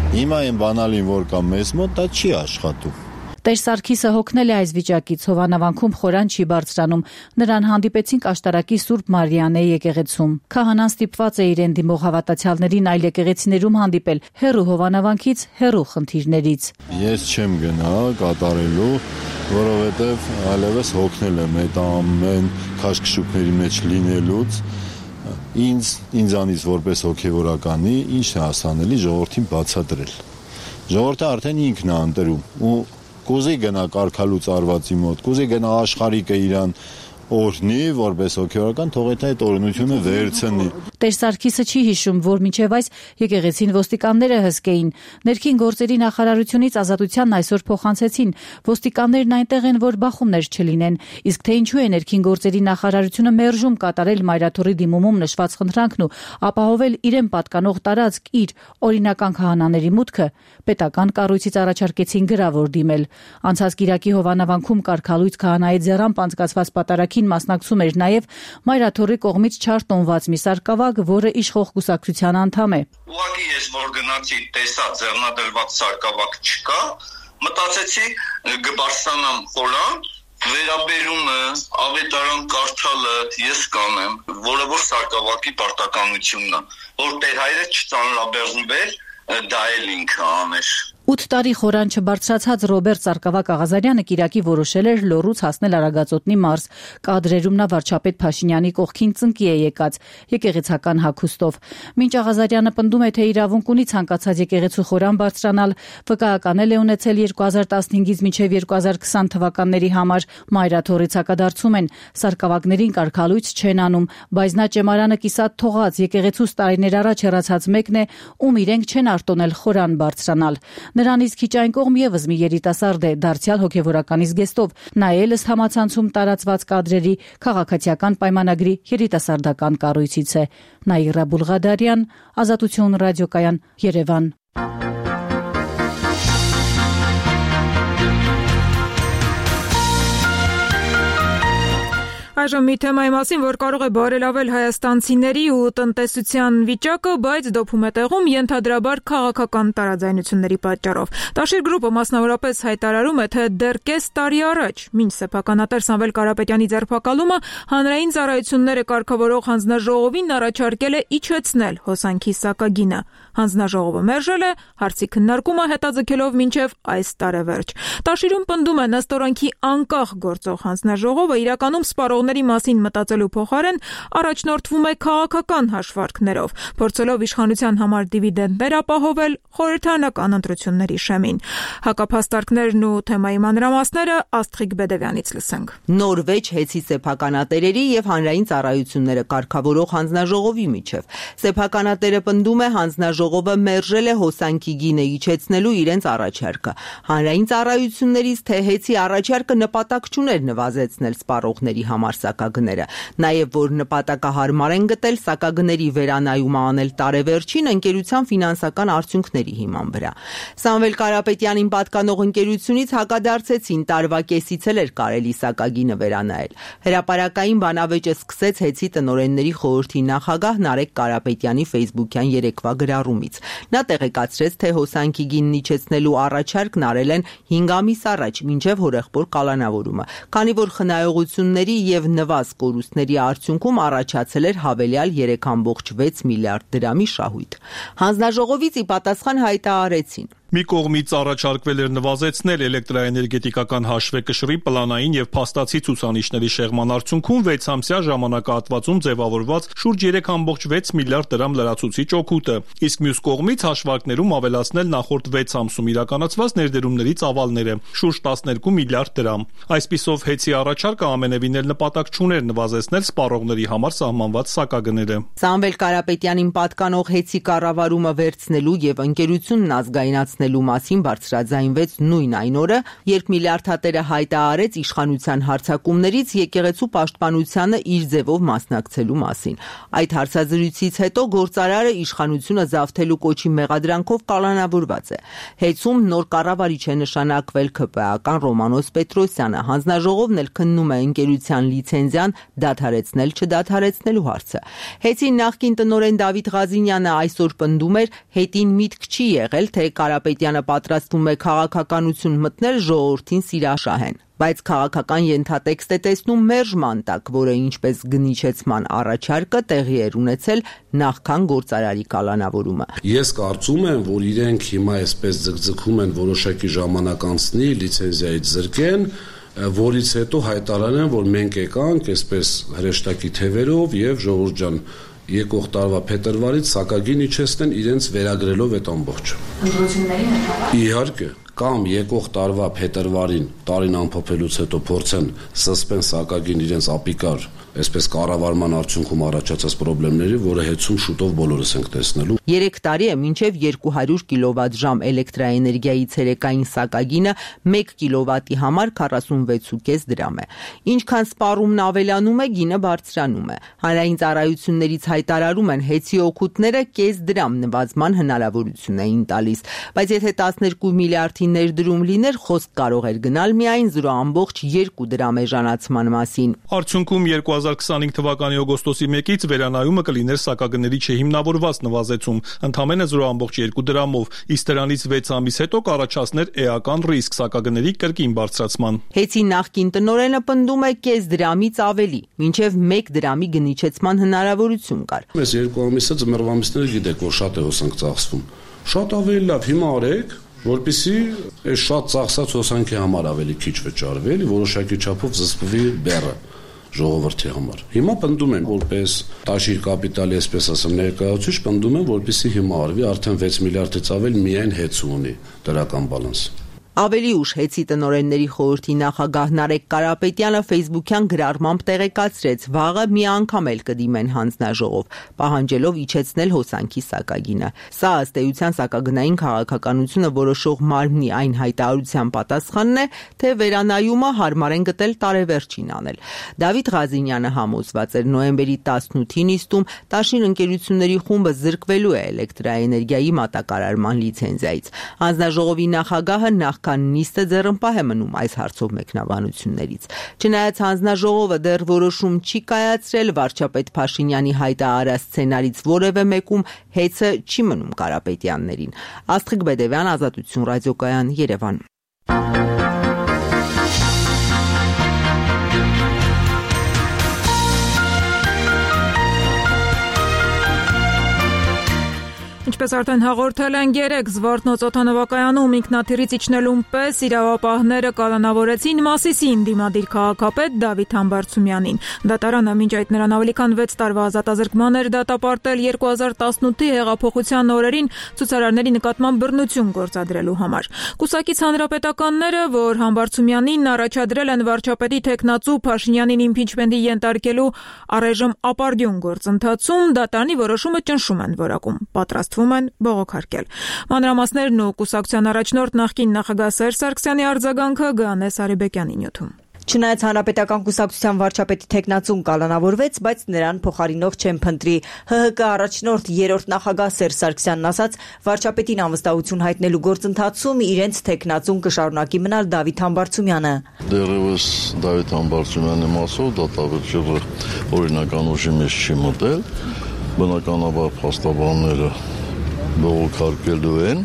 Հիմա այն բանալին, որ կա մեզ մոտ, դա չի աշխատում։ Տեր Սարգիսը հոգնել է այս վիճակից, Հովանավանքում խորան չի բարձրանում։ Նրան հանդիպեցինք Աշտարակի Սուրբ Մարիանե եկեղեցում։ Քահանան ստիպված է իրեն դիմող հավատացյալներին այլ եկեղեցիներում հանդիպել, հեռու Հովանավանքից, հեռու խնդիրներից։ Ես չեմ գնա կատարելու, որովհետև այլևս հոգնել եմ այդ ամեն քաշքշուկների մեջ լինելուց։ ինձ ինձանից որպես հոգևորականի ինչ է հասանելի ժողովրդին բացատրել։ Ժողովուրդը արդեն ինքն է ընտրում ու կուզի գնա կարգալուց արվածի մոտ, կուզի գնա աշխարհիկը իրան օրհնի, որպես հոգևորական, թող այդ օրհնությունը վերցնի։ Տեր Սարգիսը չի հիշում, որ մինչև այս եկեղեցին ոստիկանները հսկեին։ Ներքին գործերի նախարարությունից ազատությանն այսօր փոխանցեցին։ Ոստիկաններն այնտեղ են, որ բախումներ չլինեն։ Իսկ թե ինչու է ներքին գործերի նախարարությունը մերժում կատարել Մայրաթորի դիմումում նշված խնդրանքն ու ապահովել իրեն պատկանող տարածք իր օրինական քահանաների մուտքը, պետական կառույցից առաջարկեցին գրավոր դիմել։ Անցած կիրակի Հովանավանքում կարգալույց քահանայի ձեռամբ անցկացված պատարագին մասնակցում էր նաև Մայրաթորի կողմից չարտոնված մի սարկավակ, որը իշխող կուսակցության անդամ է։ Ուղղակի ես որ գնացի, տեսա ձեռնադրված սարկավակ չկա, մտածեցի կբարձրանամ խորան, վերաբերումը, ավետարան կարդալը ես կանեմ, որը որ սարկավակի պարտականությունն է, որ Տեր հայրը չծանրաբեռնվեր, դա էլ ինքը աներ։ ութ տարի խորան չբարձրացած Ռոբերտ Սարգսակ Աղազարյանը կիրակի որոշել էր Լոռուց հասնել Արագածոտնի մարզ։ Կադրերում նա վարչապետ Փաշինյանի կողքին ծնկի է եկած եկեղեցական հագուստով։ Մինչ Աղազարյանը պնդում է, թե իրավունք ունի ցանկացած եկեղեցու խորան բարձրանալ, վկայականել է ունեցել երկու հազար տասնհինգից մինչև երկու հազար քսան թվականների համար։ Մայրաթորից հակադարձում են, սարկավակներին կարգալույց չեն անում, բայց նա ճեմարանը կիսատ թողած եկեղեցուց տարիներ առաջ հեռացած մեկն է, ում իրենք չեն արտոնել խորան բարձրանալ։ Նրանից քիչ այն կողմ եւս մի երիտասարդ է, դարձյալ հոգևորականի զգեստով։ Նա էլ ըստ համացանցում տարածված կադրերի քաղաքացիական պայմանագրի երիտասարդական կառույցից է։ Նաիրա Բուլղադարյան, Ազատություն ռադիոկայան, Երևան։ Այժմ մի թեմայի մասին, որ կարող է բարելավել հայաստանցիների ու տնտեսության վիճակը, բայց դոփում է տեղում ենթադրաբար քաղաքական տարաձայնությունների պատճառով։ Տաշիր գրուպը մասնավորապես հայտարարում է, թե դեռ կես տարի առաջ, մինչ սեփականատեր Սամվել Կարապետյանի ձերբակալումը, հանրային ծառայությունները կարգավորող հանձնաժողովին առաջարկել է իջեցնել հոսանքի սակագինը։ Հանձնաժողովը մերժել է, հարցի քննարկումը հետաձգելով մինչև այս տարեվերջ։ Տաշիրում պնդում է նստորանքի անկախ գործող հանձնաժողովը իրականում սպառողների մասին մտածելու փոխարեն առաջնորդվում է քաղաքական հաշվարկներով, փորձելով իշխանության համար դիվիդենդներ ապահովել խորհրդարանական ընտրությունների շեմին։ Հակափաստարկներն ու թեմայի մանրամասները Աստղիկ Բեդևյանից լսենք։ Նորվեջ հեծի սեփականատերերի եւ հանրային ծառայությունները կարգավորող հանձնաժողովի միջև։ Սեփականատերը պնդում է, հանձնաժողովը մերժել է հոսանքի գինը իջեցնելու իրենց առաջարկը։ Հանրային ծառայություններից թե հեծի առաջարկը նպատակ չուներ նվազեցնել սպառողների համար սակագները, նաև որ նպատակահարմար են գտել սակագների վերանայումը անել տարեվերջին ընկերության ֆինանսական արդյունքների հիման վրա։ Սամվել Կարապետյանին պատկանող ընկերությունից հակադարձեցին, տարվա կեսից էլ էր կարելի սակագինը վերանայել։ Հրապարակային բանավեճը սկսեց հեծի տնօրենների խորհրդի նախագահ Նարեկ Կարապետյանի ֆեյսբուքյան երեկվա գրառումից։ Նա տեղեկացրեց, թե հոսանքի գինն իջեցնելու առաջարկն արել են հինգ ամիս առաջ, մինչև հորեղբոր կալանավորումը, քանի որ խնայողությունների եւ նվազ կորուստների արդյունքում առաջացել էր հավելյալ երեք կόμ վեց միլիարդ դրամի շահույթ։ Հանձնաժողովից ի պատասխան հայտարարեցին. Մի կողմից առաջարկվել էր նվազեցնել էլեկտրաէներգետիկական հաշվեկշռի պլանային եւ փաստացի ցուցանիշների շեղման արդյունքում վեց ամսյա ժամանակահատվածում ձևավորված շուրջ երեք կόμ վեց միլիարդ դրամ լրացուցիչ օգուտը, իսկ մյուս կողմից հաշվարկներում ավելացնել նախորդ վեց ամսում իրականացված ներդրումների ծավալները՝ շուրջ տասներկու միլիարդ դրամ։ Այսպիսով հեծի առաջարկը ամենևին էլ նպատակ չուներ նվազեցնել սպառողների համար սահմանված սակագները։ Սամվել Կարապետյանին պատկանող հեծի կառավարումը վերցնելու եւ ընկերությունն ազգայնացնելու մասին բարձրաձայնվեց նույն այն օրը, երբ միլիարդատերը հայտարարեց իշխանության հարձակումներից եկեղեցու պաշտպանությանը իր ձևով մասնակցելու մասին։ Այդ հարցազրույցից հետո գործարարը իշխանությունը զավթելու կոչի մեղադրանքով կալանավորված է։ Հեծում նոր կառավարիչ է նշանակվել ՔՊԱ-ական Ռոմանոս Պետրոսյանը։ Հանձնաժողովն էլ քննում է ընկերության լիցենզիան դադարեցնել չդադարեցնելու հարցը։ Հեծի նախկին տնօրեն Դավիթ Ղազինյանը այսօր պնդում էր, հետին միտք չի եղել, թե Կարապետյանը պատրաստվում է քաղաքականություն մտնել ժողովրդին սիրաշահեն, բայց քաղաքական ենթատեքստ է տեսնում մերժման տակ, որը ինչպես գնիչեցման առաջարկը տեղի էր ունեցել նախքան գործարարի կալանավորումը։ Ես կարծում եմ, որ իրենք հիմա այսպես ձգձգում են որոշակի ժամանակ անցնի, լիցենզիայից զրկեն, որից հետո հայտարարեն, որ մենք եկանք այսպես հրեշտակի թևերով եւ ժողովուրդ ջան եկող տարվա փետրվարից սակագին իջեցնեն իրենց վերագրելով այդ ամբողջը։ Ընտրությունների հետ Իհարկե, կամ եկող տարվա փետրվարին տարին ամփոփելուց հետո փորձեն սսպեն սակագին իրենց ապիկար, այսպես կառավարման արդյունքում առաջացած խնդիրների, որը հետում շուտով բոլորս ենք տեսնելու։ երեք տարի է մինչև երկու հարյուր կիլովատ-ժամ էլեկտրաէներգիայի ցերեկային սակագինը մեկ կիլովատի համար քառասունվեց ու կես դրամ է։ Ինչքան սպառումն ավելանում է, գինը բարձրանում է։ Հանրային ծառայություններից հայտարարում են հեծի օգուտները կես դրամ նվազման հնարավորություն էին տալիս, բայց եթե տասներկու միլիարդի ներդրում լիներ, խոսք կարող էր գնալ միայն զրո ամբողջ երկու դրամ էժանացման մասին։ Արդյունքում երկու հազար քսանհինգ թվականի օգոստոսի մեկից վերանայումը կլիներ սակագների չհիմնավորված նվազեցում, ընդամենը զրո ամբողջ երկու դրամով, իսկ դրանից վեց ամիս հետո կառաջացներ էական ռիսկ սակագների կրկին բարձրացման։ Հեծի նախկին տնօրենը պնդում է կես դրամից ավելի, մինչև մեկ դրամի գնիչեցման հնարավորություն կար։ Այս երկու ամիսը ձմեռվա ամիսները գիտեք, որ շատ է հոսանք ծախսվում։ Շատ ավելի լավ հիմա արեք, որպեսզի այս շատ ծախսած հոսանքի համար ավելի քիչ վճարվի, էլի որոշակի չափով զսպվի բեռը ժողովրդի համար։ Հիմա պնդում են, որպես տաշիր կապիտալի, այսպես ասեմ, ներկայացուցիչ պնդում են, որպեսզի հիմա արվի արդեն վեց միլիարդից ավել միայն հեծ ունի դրական բալանս։ Ավելի ուշ հեծի տնօրենների խորհրդի նախագահ Նարեկ Կարապետյանը ֆեյսբուքյան գրառմամբ տեղեկացրեց, վաղը մի անգամ էլ կդիմեն հանձնաժողով, պահանջելով իջեցնել հոսանքի սակագինը։ Սա ըստ էության սակագնային քաղաքականությունը որոշող մարմնի այն հայտարարության պատասխանն է, թե վերանայումը հարմար են գտել տարեվերջին անել։ Դավիթ Ղազինյանը համոզված էր նոյեմբերի տասնութի նիստում տաշիր ընկերությունների խումբը զրկվելու է էլեկտրաէներգիայի մատակարարման լիցենզիայից։ Հանձնաժողովի նախագահը նախ նիստը ձեռնպահ է մնում այս հարցով մեկնաբանություններից։ Չնայած հանձնաժողովը դեռ որոշում չի կայացրել, վարչապետ Փաշինյանի հայտարարած սցենարից որևէ մեկում հեծը չի մնում Կարապետյաններին։ Աստղիկ Բեդևյան, Ազատություն ռադիոկայան, Երևան։ Ինչպես արդեն հաղորդել են երեկ Զվարթնոց օդանավակայանում ինքնաթիռից իջնելուն պես իրավապահները կալանավորեցին Մասիսի ընդդիմադիր քաղաքապետ Դավիթ Համբարձումյանին։ Դատարանը մինչ այդ նրան ավելի քան վեց տարվա ազատազրկման էր դատապարտել երկու հազար տասնութի հեղափոխության օրերին ցուցարարների նկատմամբ բռնություն գործադրելու համար։ Կուսակից հանրապետականները, որ Համբարձումյանին առաջադրել են վարչապետի թեկնածու Փաշինյանին իմպիչմենտի ենթարկելու առայժմ ապարդյուն գործընթացում, դատարանի որոշումը ճնշում են որակում։ Պատրաստ են բողոքարկել։ Մանրամասներն ու կուսակցության առաջնորդ նախկին նախագահ Սերժ Սարգսյանի արձագանքը Գանե Սարիբեկյանի նյութում։ Չնայած հանրապետական կուսակցության վարչապետի թեկնածուն կալանավորվեց, բայց նրան փոխարինող չեն փնտրի։ ՀՀԿ առաջնորդ երրորդ նախագահ Սերժ Սարգսյանն ասաց, վարչապետին անվստահություն հայտնելու գործընթացում իրենց թեկնածուն կշարունակի մնալ Դավիթ Համբարձումյանը։ Դեռևս Դավիթ Համբարձումյանի մասով դատավճիռը օրինական ուժի մեջ չի մտել, բնականաբար փաստաբանները բողոքարկելու են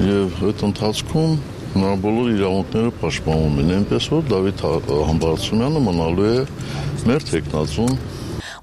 եւ այդ ընթացքում նա բոլոր իրավունքները պաշտպանվում են, այնպես որ Դավիթ Համբարձումյանը մնալու է մեր թեկնածուն։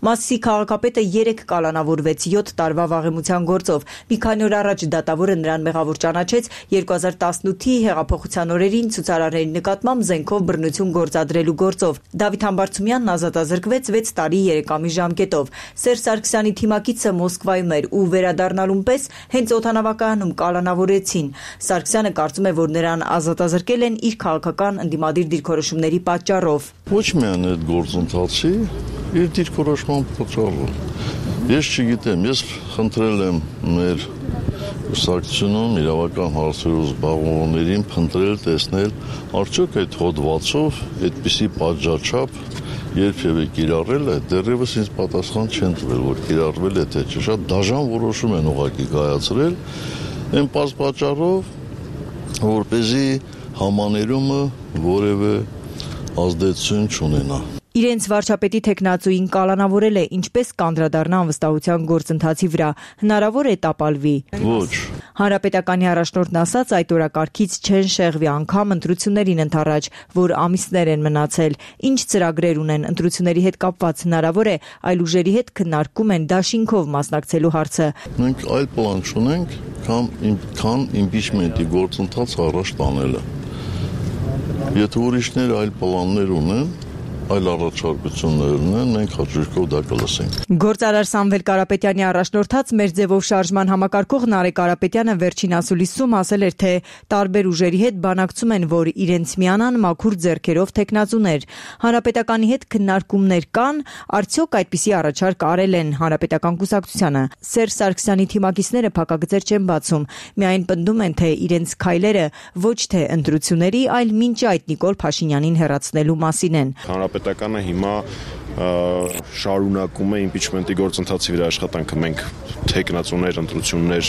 Մասիսի քաղաքապետը երեք կալանավորվեց յոթ տարվա վաղեմության գործով։ Մի քանի օր առաջ դատավորը նրան մեղավոր ճանաչեց երկու հազար տասնութի հեղափոխության օրերին ցուցարարների նկատմամբ զենքով բռնություն գործադրելու գործով։ Դավիթ Համբարձումյանն ազատազրկվեց վեց տարի երեք ամիս ժամկետով։ Սերժ Սարգսյանի թիմակիցը Մոսկվայում էր ու վերադառնալուն պես հենց օդանավակայանում կալանավորեցին։ Սարգսյանը կարծում է, որ նրան ազատազրկել են իր քաղաքական ընդդիմադիր դիրքորոշումների պատճառով։ Ոչ միայն այդ գործընթացի իր դիրքորոշման պատճառով։ Ես չգիտեմ, ես խնդրել եմ մեր կուսակցությունում իրավական հարցերով զբաղվողներին փնտրել, տեսնել, արդյոք այդ հոդվածով այդպիսի պատժաչափ երբևէ կիրառել է, դեռևս ինձ պատասխան չեն տվել, որ կիրառվել է թե չէ, շատ դաժան որոշում են ուղղակի կայացրել, այն պատճառով, որպեսզի համաներումը որևէ ազդեցություն չունենա։ Իրենց վարչապետի թեկնածուին կալանավորել է, ինչպես կանդրադառնա անվստահության գործընթացի վրա, հնարավոր է տապալվի։ Ոչ։ Հանրապետականի առաջնորդն ասաց, այդ օրակարգից չեն շեղվի անգամ ընտրություններին ընդառաջ, որ ամիսներ են մնացել։ Ինչ ծրագրեր ունեն ընտրությունների հետ կապված, հնարավոր է այլ ուժերի հետ քննարկում են դաշինքով մասնակցելու հարցը։ Մենք այլ պլան չունենք, քան իմպիչմենտի գործընթաց առաջ տանելը։ Եթե ուրիշներ այլ պլաններ ունեն, այլ առաջարկություններ ունեն, մենք հաջողքով դա կլսենք։ Գործարար Սամվել Կարապետյանի առաջնորդած մեր ձևով շարժման համակարգող Նարեկ Կարապետյանը վերջին ասուլիսում ասել էր, թե տարբեր ուժերի հետ բանակցում են, որ իրենց միանան մաքուր ձեռքերով տեխնացուներ։ Հանրապետականի հետ քննարկումներ կան, արդյոք այդպիսի առաջարկ արել են Հանրապետական կուսակցությանը։ Սերժ Սարգսյանի թիմակիցները փակագծեր չեն բացում, միայն պնդում են, թե իրենց քայլերը ոչ թե ընտրությունների, այլ մինչ այդ Նիկոլ Փաշինյանին հեռացնելու մասին են։ Հանրապետականը հիմա շարունակում է իմպիչմենտի գործընթացի վրա աշխատանքը, մենք տեխնացուներ, ընտրություններ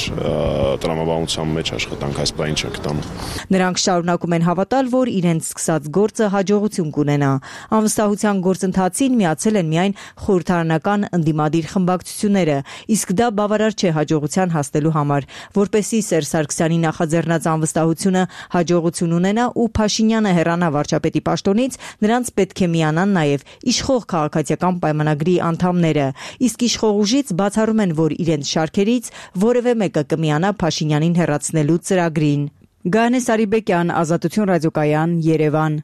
տրամաբանության մեջ աշխատանք այս բանը չենք տանում։ Նրանք շարունակում են հավատալ, որ իրենց սկսած գործը հաջողություն կունենա։ Անվստահության գործընթացին միացել են միայն խորհրդարանական ընդդիմադիր խմբակցությունները, իսկ դա բավարար չէ հաջողության հասնելու համար, որպեսզի Սերժ Սարգսյանի նախաձեռնած անվստահությունը հաջողություն ունենա ու Փաշինյանը հեռանա վարչապետի պաշտոնից, նրանց պետք է միանան նաև իշխող քաղաքացիական պայմանագրի անդամները, իսկ իշխող ուժից բացառում են, որ իրենց շարքերից որևէ մեկը կմիանա Փաշինյանին հեռացնելու ծրագրին։ Գայանե Սարիբեկյան, Ազատություն ռադիոկայան, Երևան։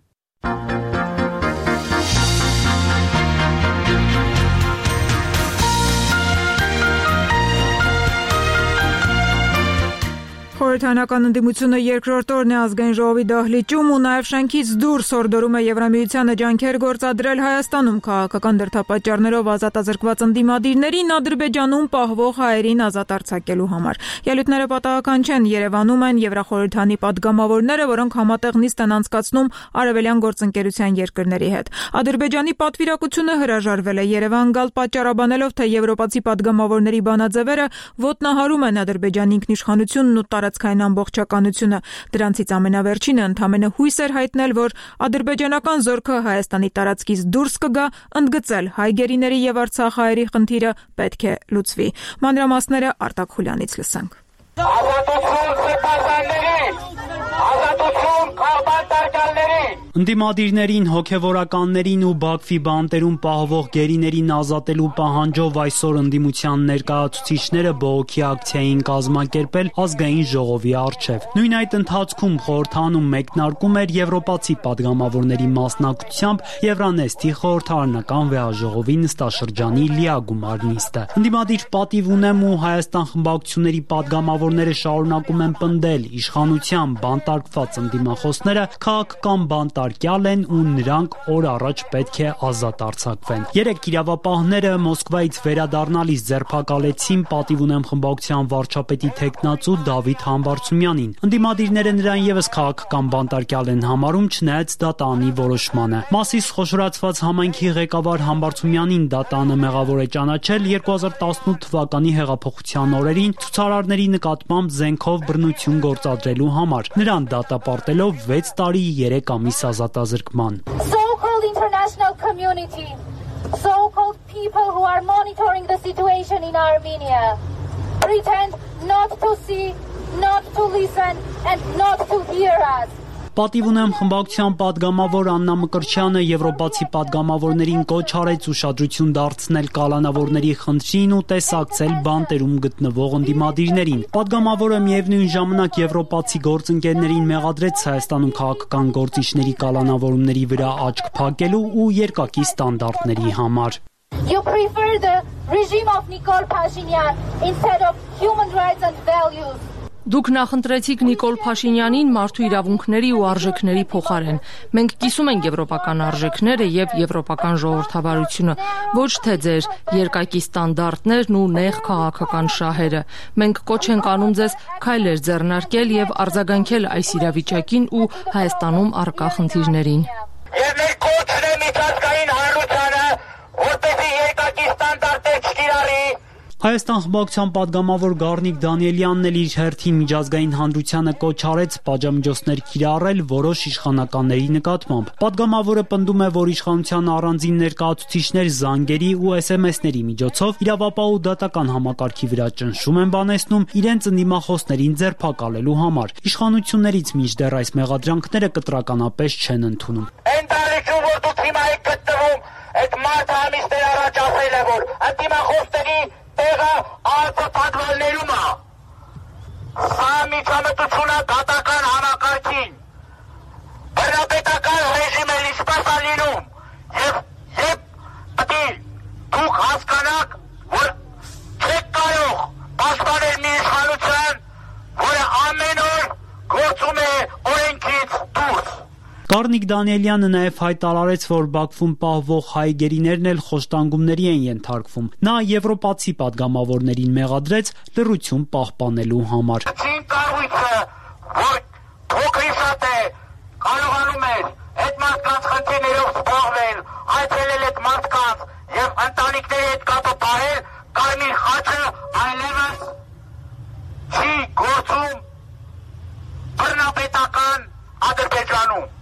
Խորհրդարանական ընդդիմությունը երկրորդ օրն է ազգային ժողովի դահլիճում ու նաև շենքից դուրս հորդորում է Եվրամիությանը ջանքեր գործադրել Հայաստանում քաղաքական դրդապատճառներով ազատազրկված ընդդիմադիրներին Ադրբեջանում պահվող հայերին ազատ արձակելու համար։ Ելույթները պատահական չեն, Երևանում են Եվրախորհրդանի падգամավորները, որոնք համատեղ նիստ են անցկացնում արևելյան գործընկերության երկրների հետ։ Ադրբեջանի պատվիրակությունը հրաժարվել է Երևան գալ պատճառաբանելով, թե եվրոպացի падգամավորների բանաձևերը ոտնահարում են Ադրբեջանի ինքնիշխանությունն ու տարածքային ամբողջականությունը։ Դրանցից ամենավերջինը ընդամենը հույս էր հայտնել, որ ադրբեջանական զորքը Հայաստանի տարածքից դուրս կգա, ընդգծել հայ գերիների եւ արցախահայերի խնդիրը պետք է լուծվի։ Մանրամասները Արտակ Խուլյանից լսենք։ Ազատություն սեփականներին, ազատություն քաղաքացիներին։ Ընդդիմադիրներին, հոգևորականներին ու Բաքվի բանտերում պահվող գերիներին ազատելու պահանջով այսօր ընդդիմության ներկայացուցիչները բողոքի ակցիա էին կազմակերպել ազգային ժողովի առջև։ Նույն այդ ընթացքում խորհրդանում մեկնարկում էր եվրոպացի падգամավորների մասնակցությամբ Եվրանեստի խորհրդարանական վեհաժողովի նստաշրջանի լիագումար նիստը։ Ընդդիմադիր պատիվ ունեմ ու Հայաստան խմբակցությունների падգամավորները շարունակում են պնդել իշխանության բանտարկված ընդդիմախոսները քաղաքական բանտարկյալ են ու նրանք օր առաջ պետք է ազատ արձակվեն։ Երեք իրավապահները Մոսկվայից վերադառնալիս ձերբակալեցին պատիվ ունեմ խմբակցության վարչապետի թեկնածու Դավիթ Համբարձումյանին։ Ընդդիմադիրները նրան եւս քաղաքական բանտարկյալ են համարում, չնայած դատանի որոշմանը։ Մասիս խոշորացված համայնքի ղեկավար Համբարձումյանին դատանը մեղավոր է ճանաչել երկու հազար տասնութ թվականի հեղափոխության օրերին ցուցարարների նկատմամբ զենքով բռնություն գործադրելու համար։ Նրան դատապարտելով վեց տարի երեք ամիս ազատազրկման։ So-called international community, so-called people who are monitoring the situation in Armenia, pretend not to see, not to listen and not to hear us. Պատիվ ունեմ խմբակցության падգամավոր Աննա Մկրտչյանը եվրոպացի падգամավորներին կոչ արեց ուշադրություն դարձնել կալանավորների խնդրին ու տեսակցել բանտերում գտնվող ընդդիմադիրներին։ Падգամավորը միևնույն ժամանակ եվրոպացի գործընկերներին մեղադրեց Հայաստանում քաղաքական գործիչների կալանավորումների վրա աչք փակելու ու երկակի ստանդարտների համար։ You prefer the regime of Nikol Pashinyan instead of human rights and values. Դուք նախընտրեցիք Նիկոլ Փաշինյանին մարդու իրավունքների ու արժեքների փոխարեն։ Մենք կիսում ենք եվրոպական արժեքները եւ եվրոպական ժողովրդավարությունը, ոչ թե ձեր երկակի ստանդարտներն ու նեղ քաղաքական շահերը։ Մենք կոչ ենք անում ձեզ քայլեր ձեռնարկել եւ արձագանքել այս իրավիճակին ու Հայաստանում առկա խնդիրներին։ Եվ մեր կոչն է միջազգային հանրությանը, որպեսզի երկակի ստանդարտներ չկիրառի։ Հայաստան խմբակցության падգամավոր Գառնիկ Դանիելյանն էլ իր հերթին միջազգային հանրությանը կոչ արեց պատժամիջոցներ կիրառել որոշ իշխանականների նկատմամբ։ Падգամավորը պնդում է, որ իշխանության առանձին ներկայացուցիչներ զանգերի ու էս էմ էսների միջոցով իրավապահ ու դատական համակարգի վրա ճնշում են բանեցնում իրենց ընդդիմախոսներին ձերբակալելու համար։ Իշխանություններից մինչդեռ այս մեղադրանքները կտրականապես չեն ընդունում։ Այն տարիքում, որ դուք հիմա եք գտնվում, այդ մարդը ամիսներ առաջ ասել է, որ ընդդիմախոսների տեղը ալցը պատվալներում է։ Սա միջամտությունը դատական համակարգին։ Բռնապետական ռեժիմը ինչպես է լինում, եւ Գառնիկ Դանիելյանը նաև հայտարարեց, որ Բաքվում պահվող հայ գերիներն էլ խոշտանգումների են ենթարկվում։ Նա եվրոպացի պատգամավորներին մեղադրեց լռություն պահպանելու համար։ Կառույցը, որ փոքրիսատ է, կարողանում էր այդ մարդկանց խնդիրներով զբաղվել, այցելել այդ մարդկանց եւ ընտանիքների հետ կապը պահել, Կարմիր խաչը այլևս չի գործում բռնապետական Ադրբեջանում։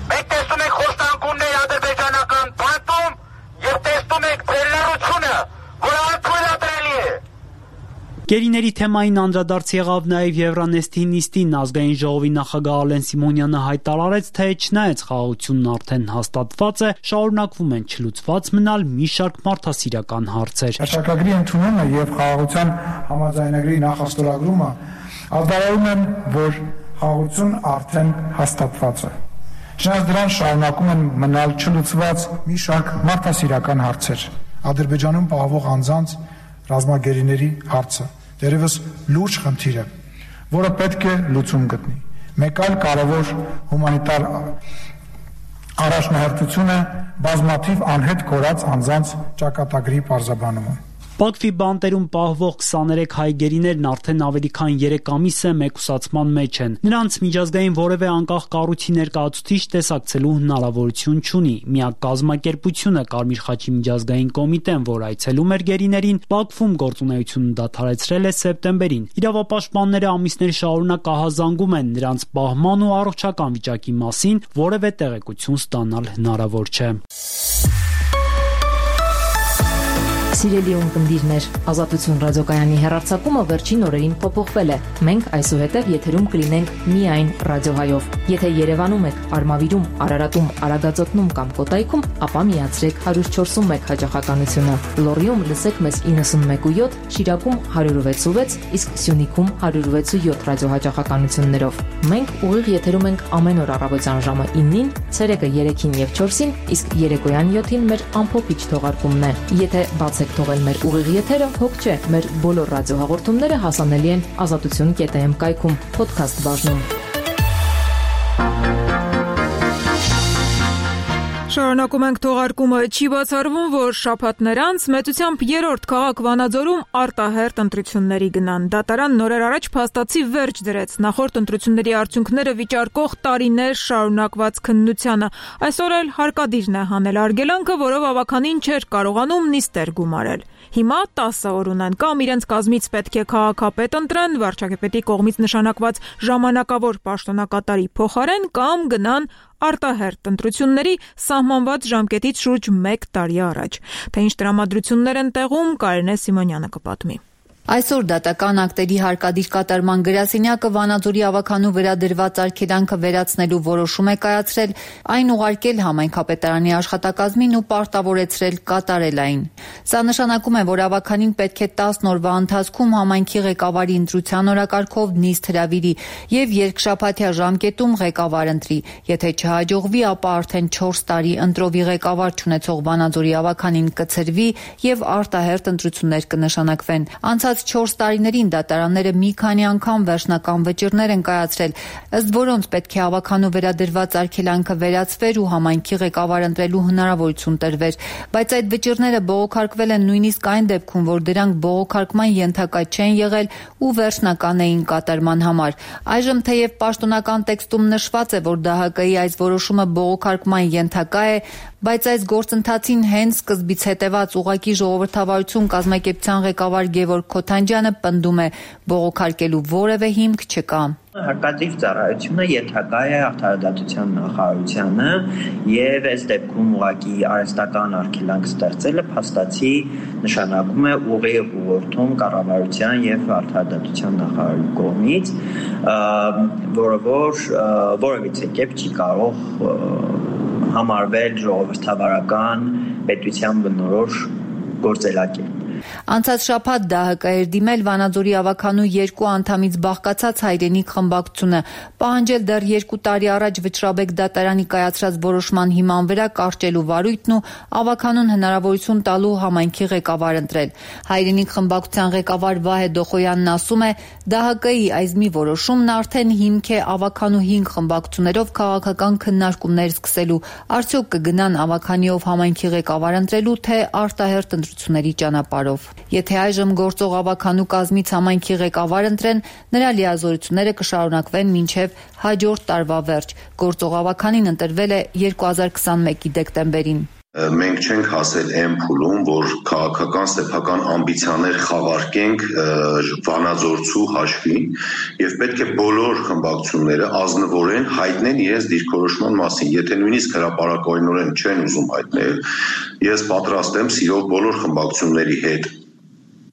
Մենք տեսնում ենք խոշտանգումներ ադրբեջանական բանտում եւ տեսնում ենք ձեր լռությունը, որ անթույլատրելի է։ Գերիների թեմային անդրադարձ եղավ նաև Եվրանեստի նիստին։ Ազգային ժողովի նախագահ Ալեն Սիմոնյանը հայտարարեց, թե չնայած խաղաղությունն արդեն հաստատված է, շարունակվում են չլուծված մնալ մի շարք մարդասիրական հարցեր։ Հաշվարկագրի ընդունումը եւ խաղաղության համաձայնագրի նախաստորագրումը արտահայտում են, որ խաղաղություն արդեն հաստատված է։ Չնայած դրան շարունակում են մնալ չլուծված մի շարք մարդասիրական հարցեր։ Ադրբեջանում պահվող անձանց ռազմագերիների հարցը դերևս լուրջ խնդիր է, որը պետք է լուծում գտնի։ Մեկ այլ կարևոր հումանիտար առաջնահերթությունը բազմաթիվ անհետ կորած անձանց ճակատագրի պարզաբանումը։ Բաքվի բանտերում պահվող քսաներեք հայ գերիներն արդեն ավելի քան երեք ամիս է մեկուսացման մեջ են։ Նրանց միջազգային որևէ անկախ կառույցի ներկայացուցիչ տեսակցելու հնարավորություն չունի։ Միակ կազմակերպությունը Կարմիր խաչի միջազգային կոմիտեն, որ այցելում էր գերիներին, Բաքվում գործունեությունը դադարեցրել է սեպտեմբերին։ Իրավապաշտպանները ամիսներ շարունակ ահազանգում են նրանց պահման ու առողջական վիճակի մասին, որևէ տեղեկություն ստանալ հնարավոր չէ։ Սիրելի ունկնդիրներ, Ազատություն ռադիոկայանի հեռարձակումը վերջին օրերին փոփոխվել է։ Մենք այսուհետև եթերում կլինենք միայն ռադիոհայով։ Եթե Երևանում եք, Արմավիրում, Արարատում, Արագածոտնում կամ Կոտայքում, ապա միացրեք հարյուր չորսունմեկ հաճախականությունը։ Լոռիում լսեք մեզ իննսունմեկ ու յոթ, Շիրակում հարյուր վեց ու վեց, իսկ Սյունիքում հարյուր վեց ու յոթ ռադիոհաճախականություններով։ Մենք ուղիղ եթերում ենք ամեն օր առավոտյան ժամը իննին, ցերեկը երեքին եւ չորսին, իսկ երեկոյան յոթին մեր ամփոփիչ թողարկումն է։ Եթե բացեք թողել մեր ուղիղ եթերը, հոգ չէ, մեր բոլոր ռադիոհաղորդումները հասանելի են ազատություն կետ էմ կայքում, փոդքասթ բաժնում։ Շարունակում ենք թողարկումը։ Չի բացառվում, որ շաբաթներ անց մեծությամբ երրորդ քաղաք Վանաձորում արտահերթ ընտրությունների գնան։ Դատարան նորեր առաջ փաստացի վերջ դրեց նախորդ ընտրությունների արդյունքները վիճարկող տարիներ շարունակված քննությանը։ Այսօր էլ հարկադիրն է հանել արգելանքը, որով ավականին չէր կարողանում նիստեր գումարել։ Հիմա տասը օր ունեն, կամ իրենց կազմից պետք է քաղաքապետ ընտրեն վարչապետի կողմից նշանակված ժամանակավոր պաշտոնակատարի փոխարեն, կամ գնան արտահերթ ընտրությունների սահմանված ժամկետից շուրջ մեկ տարի առաջ։ Թե ինչ տրամադրություններ են տեղում, Կարինե Սիմոնյանը կպատմի։ Այսօր դատական ակտերի հարկադիր կատարման գրասենյակը Վանաձորի ավականու վերադրված արգելանքը վերացնելու որոշում է կայացրել, այն ուղարկել համայնքապետարանի աշխատակազմին ու պարտավորեցրել կատարել այն։ Սա նշանակում է, որ ավականին պետք է տասն օրվա ընթացքում համայնքի ղեկավարի ընտրության օրակարգով նիստ հրավիրի եւ երկշաբաթյա ժամկետում ղեկավար ընտրի։ Եթե չհաջողվի, ապա արդեն չորս տարի ընտրովի ղեկավար չունեցող Վանաձորի ավականին կցրվի եւ արտահերթ ընտրություններ կնշանակվեն։ Անցած չորս տարիներին դատարանները մի քանի անգամ վերջնական վճիռներ են կայացրել, ըստ որոնց պետք է ավականու վերադրված արգելանքը վերացվեր ու համայնքի ղեկավար ընտրելու հնարավորություն տրվեր, բայց այդ վճիռները բողոքարկվել են նույնիսկ այն դեպքում, որ դրանք բողոքարկման ենթակա չեն եղել ու վերջնական էին կատարման համար։ Այժմ թեև պաշտոնական տեքստում նշված է, որ դե հա կի այս որոշումը բողոքարկման ենթակա է, բայց այս գործընթացին հենց սկզբից հետևած ուղղակի ժողովրդավարություն կազմակերպության ղեկավար Գևորգ Քոթանջյանը պնդում է, բողոքարկելու որևէ հիմք չկա։ Հարկադիր ծառայությունը ենթակա է արդարադատության նախարարությանը եւ այս դեպքում ուղղակի արհեստական արգելանք ստեղծելը փաստացի նշանակում է ուղիղ ուղղորդում կառավարության եւ արդարադատության նախարարի կողմից, որը որ որևիցե կերպ չի կարող համարվել ժողովրդավարական պետության բնորոշ գործելակերպ։ Անցած շաբաթ ԴՀԿ էր դիմել Վանաձորի ավականու երկու անդամից բաղկացած հայրենիք խմբակցությունը, պահանջել դեռ երկու տարի առաջ Վճռաբեկ դատարանի կայացրած որոշման հիման վրա կարճելու վարույթն ու ավականուն հնարավորություն տալու համայնքի ղեկավար ընտրել։ Հայրենիք խմբակցության ղեկավար Վահե Դոխոյանն ասում է, ԴՀԿ-ի այզմի որոշումն արդեն հիմք է ավականու հինգ խմբակցություններով քաղաքական քննարկումներ սկսելու, արդյոք կգնան ավականիով համայնքի ղեկավար ընտրելու, թե արտահերթ ընտրությունների ճանապարհով։ Եթե այժմ գործող ավականու կազմից համայնքի ղեկավար ընտրեն, նրա լիազորությունները կշարունակվեն մինչև հաջորդ տարվա վերջ։ Գործող ավականին ընտրվել է երկու հազար քսանմեկի դեկտեմբերին։ Մենք չենք հասել այն փուլում, որ քաղաքական սեփական ամբիցիաներ խավարկենք Վանաձորցու հաշվին եւ պետք է բոլոր խմբակցությունները ազնվորեն հայտնեն իրենց դիրքորոշման մասին։ Եթե նույնիսկ հրապարակայնորեն չեն ուզում հայտնել, ես պատրաստ եմ սիրով բոլոր խմբակցությունների հետ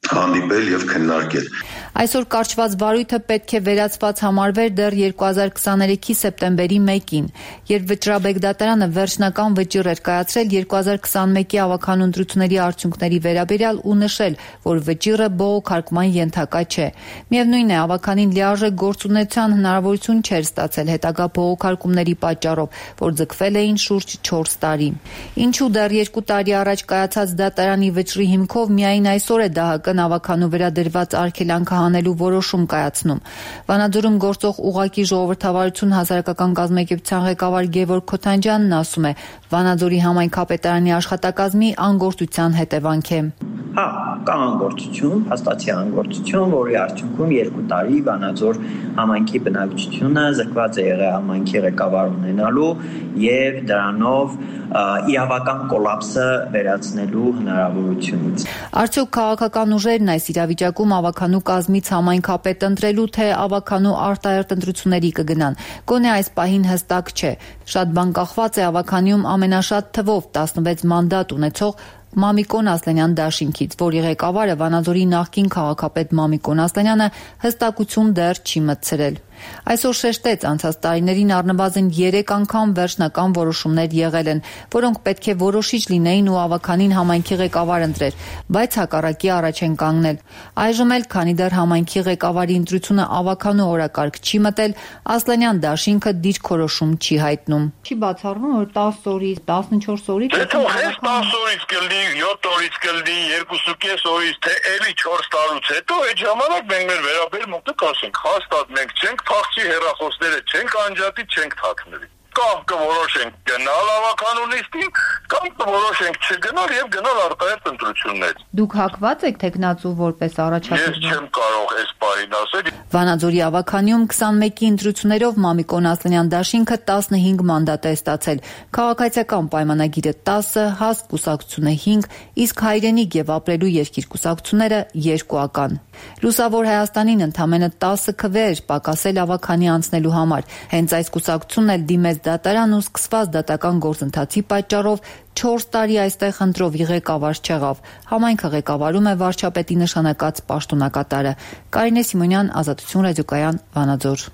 հանդիպել եւ քննարկել։ Այսօր կարճված վարույթը պետք է վերացված համարվեր դեռ երկու հազար քսաներեքի սեպտեմբերի մեկին, երբ Վճռաբեկ դատարանը վերջնական վճիռ էր կայացրել երկու հազար քսանմեկի ավականու ընտրությունների արդյունքների վերաբերյալ ու նշել, որ վճիռը բողոքարկման ենթակա չէ։ Միևնույն է, ավականին լիարժեք գործունեության հնարավորություն չէր ստացել հետագա բողոքարկումների պատճառով, որ ձգվել էին շուրջ չորս տարի։ Ինչու դեռ երկու տարի առաջ կայացած դատարանի վճռի հիմքով միայն այսօր է ԴՀԿ-ն ավականու վրա դրված արգելանքը հանելու որոշում կայացնում։ Վանաձորում գործող ուղղակի ժողովրդավարություն հասարակական կազմակերպության ղեկավար Գևորգ Քոթանջյանն ասում է, Վանաձորի համայնքապետարանի աշխատակազմի անգործության հետևանք է։ Հա, կա անգործություն, հաստատի անգործություն, որի արդյունքում երկու տարի Վանաձոր համայնքի բնակչությունը զրկված է եղել համայնքի ղեկավար ունենալու եւ դրանով իրավական կոլապսը վերացնելու հնարավորությունից։ Արդյոք քաղաքական ուժերն այս իրավիճակում ավականու կազմից համայնքապետ ընտրելու, թե ավականու արտահերթ ընտրությունների կգնան։ Գոնե այս պահին հստակ չէ։ Շատ բան կախված է ավականիում ամենաշատ թվով տասնվեց մանդատ ունեցող Մամիկոն Ասլանյան դաշինքից, որի ղեկավարը Վանաձորի նախկին քաղաքապետ Մամիկոն Ասլանյանը հստակություն դեռ չի մտցրել։ Այսօր շեշտեց, անցած տարիներին առնվազն երեք անգամ վերջնական որոշումներ եղել են, որոնք պետք է որոշիչ լինեին ու ավականին համայնքի ղեկավար ընտրեր, բայց հակառակի առաջ են կանգնել։ Այժմ էլ, քանի դեռ համայնքի ղեկավարի ընտրությունը ավականու օրակարգ չի մտել, Ասլանյան դաշինքը դիրքորոշում չի հայտնում։ Չի բացառվում, որ տասը օրից, տասնչորս օրից տասը օրից կլինի, յոթ օրից կլինի, երկուսուկես օրից, թե էլի չորս տարուց հետո, այդ ժամանակ մենք մեր վերաբերմունքը կասենք, հաստատ մենք չենք փախչի հեռախոսները չենք անջատի, չենք թաքնվի։ Կամ կորոշենք գնալ ավականու լիստին, կամ կորոշենք չգնալ եւ գնալ արտահերթ ընտրություններ։ Դուք հակված եք տեխնացու որպես առաջադեմ։ Ես չեմ կարող այս բանին ասել։ Վանաձորի ավականիում քսանմեկի ընտրություններով Մամիկոն Ասլանյան դաշինքը տասնհինգ մանդատ է ստացել։ Քաղաքացիական պայմանագիրը տասը, հաստ կուսակցությունը հինգ, իսկ հայրենիք եւ ապրելու երկիր կուսակցությունները երկուական։ Լուսավոր Հայաստանին ընդամենը տասը քվեր պակասել ավականի անցնելու համար։ Հենց այս կուսակցությունն էլ դիմեց դատարան ու սկսված դատական գործընթացի պատճառով չորս տարի այստեղ ընտրովի ղեկավար չեղավ։ Համայնքը ղեկավարում է վարչապետի նշանակած պաշտոնակատարը։ Կարինե Սիմոնյան, Ազատություն ռադիոկայան, Վանաձոր։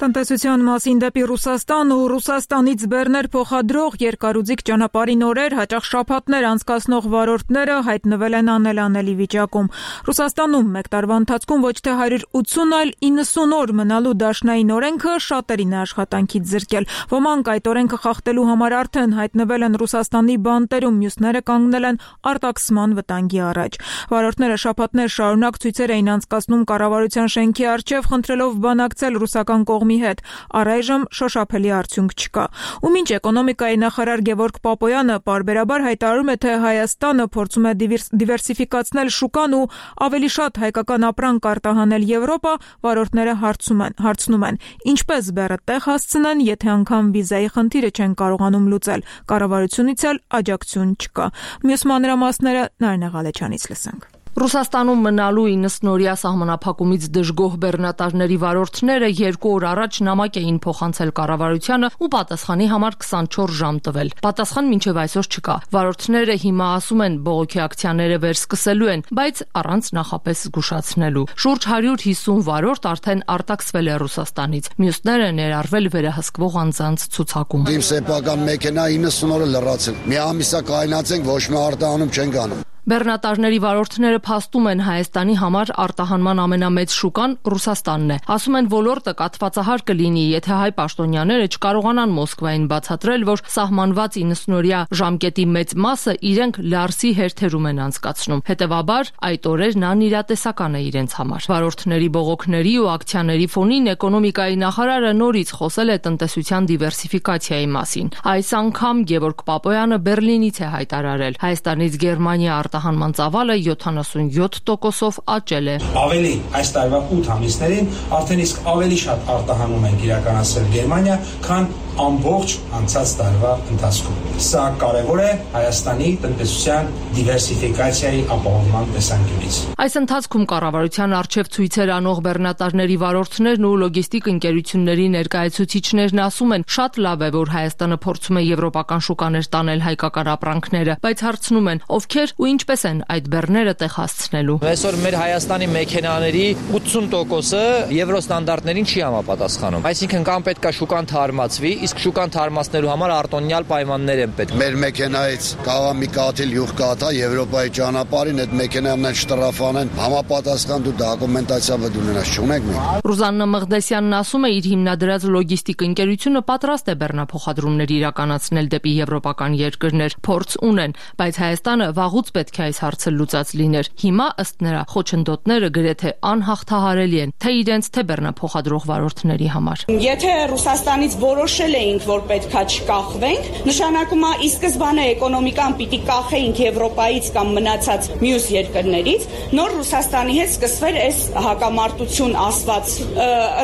Տնտեսության մասին դեպի Ռուսաստան ու Ռուսաստանից բեռներ փոխադրող երկարուձիգ ճանապարհին օրեր, հաճախ շաբաթներ անցկացնող վարորդները հայտնվել են անելանելի վիճակում։ Ռուսաստանում մեկ տարվա ընթացքում ոչ թե հարյուր ութսուն, այլ իննսուն օր մնալու դաշնային օրենքը շատերին է աշխատանքից զրկել։ Ոմանք այդ օրենքը խախտելու համար արդեն հայտնվել են Ռուսաստանի բանտերում, մյուսները կանգնել են արտաքսման վտանգի առաջ։ Վարորդները շաբաթներ շարունակ ցույցեր էին անցկացնում կառավարության շենքի առջև, խնդրելով բանակցել ռուսական կողմի հետ, առայժմ շոշափելի արդյունք չկա։ Ու մինչ էկոնոմիկայի նախարար Գևորգ Պապոյանը պարբերաբար հայտարարում է, թե Հայաստանը փորձում է դիվերսիֆիկացնել շուկան ու ավելի շատ հայկական ապրանք արտահանել Եվրոպա, վարորդները հարցում են, հարցնում են, ինչպես բեռը տեղ հասցնեն, եթե անգամ վիզայի խնդիրը չեն կարողանում լուծել, կառավարությունից էլ աջակցություն չկա։ Մյուս մանրամասները Նարինե Ղալեչյանից լսենք։ Ռուսաստանում մնալու իննսնօրյա սահմանափակումից դժգոհ բեռնատարների վարորդները երկու օր առաջ նամակ էին փոխանցել կառավարությանը ու պատասխանի համար քսանչորս ժամ տվել։ Պատասխան մինչև այսօր չկա։ Վարորդները հիմա ասում են բողոքի ակցիաները վերսկսելու են, բայց առանց նախապես զգուշացնելու։ Շուրջ հարյուր հիսուն վարորդ արդեն արտաքսվել է Ռուսաստանից։ Մյուսները ներառվել վերահսկվող անձանց ցուցակում։ Իմ սեփական մեքենա իննսուն օր լրացել։ Մի ամիսա կայնացենք, ոչ մի արտահանում չենք անում։ Բեռնատարների վարորդները փաստում են Հայաստանի համար արտահանման ամենամեծ շուկան Ռուսաստանն է։ Ասում են ոլորտը կաթվածահար կլինի, եթե հայ պաշտոնյաները չկարողանան Մոսկվային բացատրել, որ սահմանված իննսնօրյա ժամկետի մեծ մասը իրենք Լարսի հերթերում են անցկացնում։ Հետևաբար այդ օրերն անիրատեսական է իրենց համար։ Վարորդների բողոքների ու ակցիաների ֆոնին էկոնոմիկայի նախարարը նորից խոսել է տնտեսության դիվերսիֆիկացիայի մասին։ Այս անգամ Գևորգ Պապոյանը Բեռլինից է հայտարարել. Հայաստանից Գերմանիա արտահանման ծավալը յոթանասունյոթ տոկոսով աճել է։ Ավելի այս տարվա ութ ամիսներին արդեն իսկ ավելի շատ արտահանում ենք իրականացրել Գերմանիա, քան ամբողջ անցած տարվա ընթացքում։ Սա կարևոր է Հայաստանի տնտեսության դիվերսիֆիկացիայի ապահովման տեսանկյունից։ Այս ընթացքում կառավարության արչև ցույցեր անող բեռնատարների վարորդներն ու լոգիստիկ ընկերությունների ներկայացուցիչներն ասում են, շատ լավ է, որ Հայաստանը փորձում է եվրոպական շուկաներ տանել հայկական ապրանքները, բայց հարցնում են, ովքեր ու ինչպես են այդ բեռները տեղ հասցնելու։ Այսօր մեր Հայաստանի մեքենաների ութսուն տոկոսը եվրո ստանդարտներին չի համապատասխանում։ Այսինքն կամ պետք է շուկան թարմացվի, իսկ շուկան թարմացնելու համար արտոնյալ պայմաններ են պետք։ Մեր մեքենայից կաղա մի կաթիլ յուղ կաթա Եվրոպայի ճանապարհին այդ մեքենան շտրաֆանեն, համապատասխան դու դոկումենտացիա բդունենաս չունեք մենք։ Ռուզաննա Մղդեսյանն ասում է, իր հիմնադրած լոգիստիկ ընկերությունը պատրաստ է բեռնափոխադրումներ իրականացնել դեպի եվրոպական երկրներ, փորձ ունեն, բայց Հայաստանը վաղուց պետք է այս հարցը լուծած լիներ։ Հիմա ըստ նրա խոչընդոտները գրեթե անհաղթահարելի են, թե իրենց, թե բեռնափոխադրող վարորդների համար։ Եթե Ռուսաստանից որոշել էինք, որ պետքա չկախվենք, նշանակում է ի սկզբանե էկոնոմիկան պիտի կախեինք Եվրոպայից կամ մնացած մյուս երկրներից, նոր Ռուսաստանի հետ սկսվեր այս հակամարտություն ասված,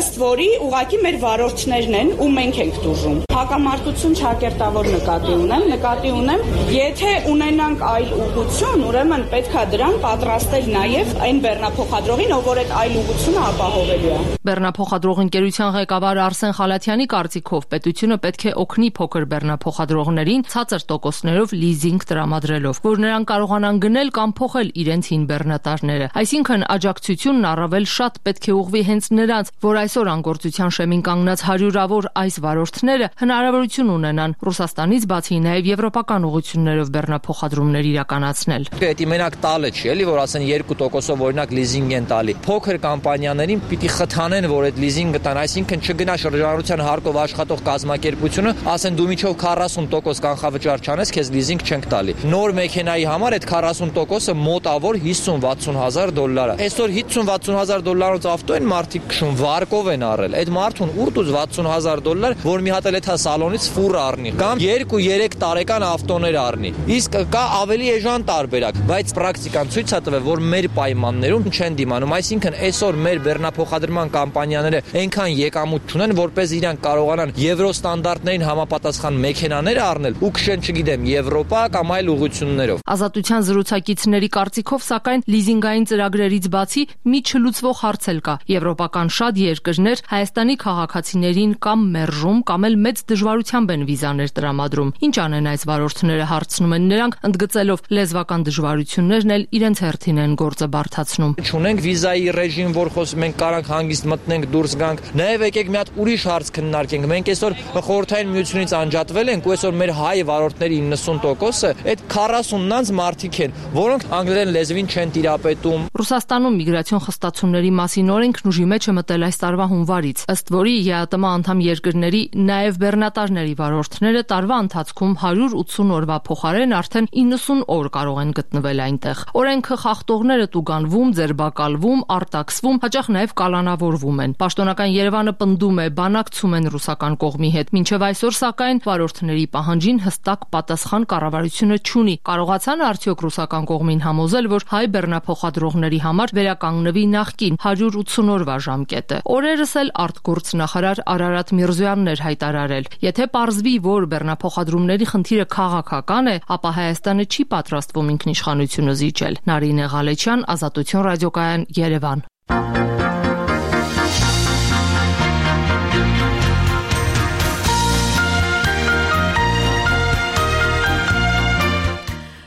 ըստ որի ուղղակի մեր վարորդներն են ու մենք ենք դժում։ Հակամարտություն չակերտավոր նկատի ունեմ, նկատի ունեմ, եթե ունենանք այլ ուղղություն, ուրեմն պետքա դրան պատրաստել նաև այն բեռնափոխադրողին, ով որ այդ այլ ուղղությունը ապահովելու է։ Բեռնափոխադրող ընկերության ղեկավար Արսեն Խալաթյանի կարծիքով պետությունը պետք է օգնի փոքր բեռնափոխադրողներին ցածր տոկոսներով լիզինգ տրամադրելով, որ նրանք կարողանան գնել կամ փոխել իրենց հին բեռնատարները։ Այսինքն աջակցությունն առավել շատ պետք է ուղղվի հենց նրանց, որ այսօր անգործության շեմին կանգնած հարյուրավոր այս վարորդները հնարավորություն ունենան Ռուսաստանից բացի նաև եվրոպական ուղղություններով բեռնափոխադրումներ իրականացնել։ Դա մենակ տալը չի, էլի որ ասեն երկու տոկոսով օրինակ լիզինգ են տալի։ Փոքր կամպանիաներին պիտի խթանեն, որ այդ լիզինգը տան, այսինքն չգնա շրջանառության հարկով աշխատող կազմակերպությունը, ասեն դու միջով քառասուն տոկոս կանխավճար չանես, քեզ լիզինգ չենք տալի։ Նոր մեքենայի համար այդ քառասուն տոկոսը մոտավոր հիսուն-վաթսուն հազար դոլար է։ Այսօր հիսուն-վաթսուն հազար դոլարից ավտո են մարդիկ քշում, վարկով են առել։ Այդ մարդուն ուր վաթսուն հազար դոլար, որ մի հատ էլ էթա սալոնից ֆուր առնի, կամ երկու-երեք տարեկան ավտոներ առնի։ Իսկ կա ավելի էժան տարբերակ, բայց պրակտիկան ցույց է տվել, որ մեր պայմաններում չեն դիմանում, այսինքն այսօր մեր բեռնափոխադրման կամպանիաները այնքան եկամուտ չունեն, որպես իրանք կարողանան եվրո ստանդարտներին համապատասխան մեքենաներ առնել ու քշեն, չգիտեմ, Եվրոպա կամ այլ ուղղություններով։ Ազատության զրուցակիցների կարծիքով, սակայն լիզինգային ծրագրերից բացի մի չլուծվող հարց էլ կա։ Եվրոպական շատ երկրներ Հայաստանի քաղաքացիներին կամ մերժում, կամ էլ մեծ դժվարությամբ են վիզաներ տրամադրում։ Ինչ անեն այս վարորդները, հարցնում են նրանք, ընդգծելով լեզվական դժվարություններն էլ իրենց հերթին են գործը բարդացնում։ Չունենք վիզայի ռեժիմ, որ խոս մենք կարանք հանգիստ մտնենք, դուրս գանք։ Նաև եկեք մի հատ ուրիշ հարց քննարկենք։ Մենք այսօր խորհրդային միությունից անջատվել ենք ու այսօր մեր հայ վարորդների իննսուն տոկոսը այդ քառասուննանց մարդիկ են, որոնք անգլերեն լեզվին չեն տիրապետում։ Ռուսաստանում միգրացիոն խստացումների մասին օրենքն ուժի մեջ է մտել այս տարվա հունվարից, ըստ որի ԵԱՏՄ անդամ երկրների նաև բեռնատարների վարորդները տարվա ընթացքում հարյուր ութսուն օրվա փոխարեն արդեն իննսուն օր կարող են գտնվել այնտեղ։ Օրենքը խախտողները տուգանվում, ձերբակալվում, արտաքսվում, հաճախ նաև կալանավորվում են։ Պաշտոնական Երևանը պնդում է, բանակցում են ռուսական կողմի հետ։ Մինչև այսօր, սակայն, վարորդների պահանջին հստակ պատասխան կառավարությունը չունի։ Կարողացան արդյոք ռուսական կողմին համոզել, որ հայ բեռնափոխադրողների համար վերականգնվի նախկին հարյուր ութսուն օրվա ժամկետը։ Օրերս էլ արտգործնախարար Արարատ Միրզոյանն էր հայտարարել. եթե պարզվի, որ բեռնափոխադրումների խնդիրը քաղաքական է, ապա Հայաստանը չի պատրաստվում ինքնուրույն Թուրքն իշխանությունը զիջել։ Նարինե Ղալեչյան, Ազատություն ռադիոկայան, Երևան։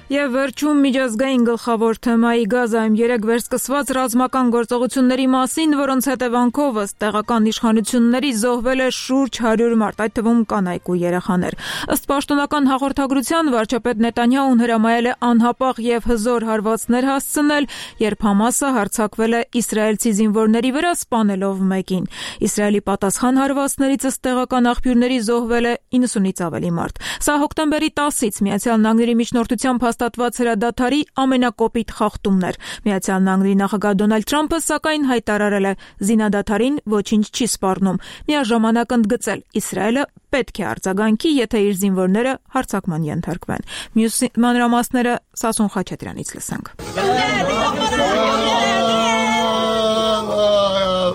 Եվ վերջում միջազգային գլխավոր թեմայի Գազայում երեկ վերսկսված ռազմական գործողությունների մասին, որոնց հետևանքով ըստ տեղական իշխանությունների զոհվել է շուրջ հարյուր մարդ, այդ թվում կանայք ու երեխաներ։ Ըստ պաշտոնական հաղորդագրության վարչապետ Նետանյահուն հրամայել է անհապաղ եւ հզոր հարվածներ հասցնել, երբ Համասը հարձակվել է իսրայելցի զինվորների վրա, սպանելով մեկին։ Իսրայելի պատասխան հարվածներից ըստ տեղական աղբյուրների զոհվել է իննսունից ավելի մարդ։ Սա հոկտեմբերի տասից Միացյալ Նահանգների միջնորդությամբ հաստատված հրադադարի ամենակոպիտ խախտումն էր։ Միացյալ Նահանգների նախագահ Դոնալդ Թրամփը սակայն հայտարարել է զինադադարին ոչինչ չի սպառնում։ Միաժամանակ ընդգծել Իսրայելը պետք է արձագանքի, եթե իր զինվորները հարձակման ենթարկվեն։ Մյուս մանրամասները Սասուն Խաչատրյանից լսենք։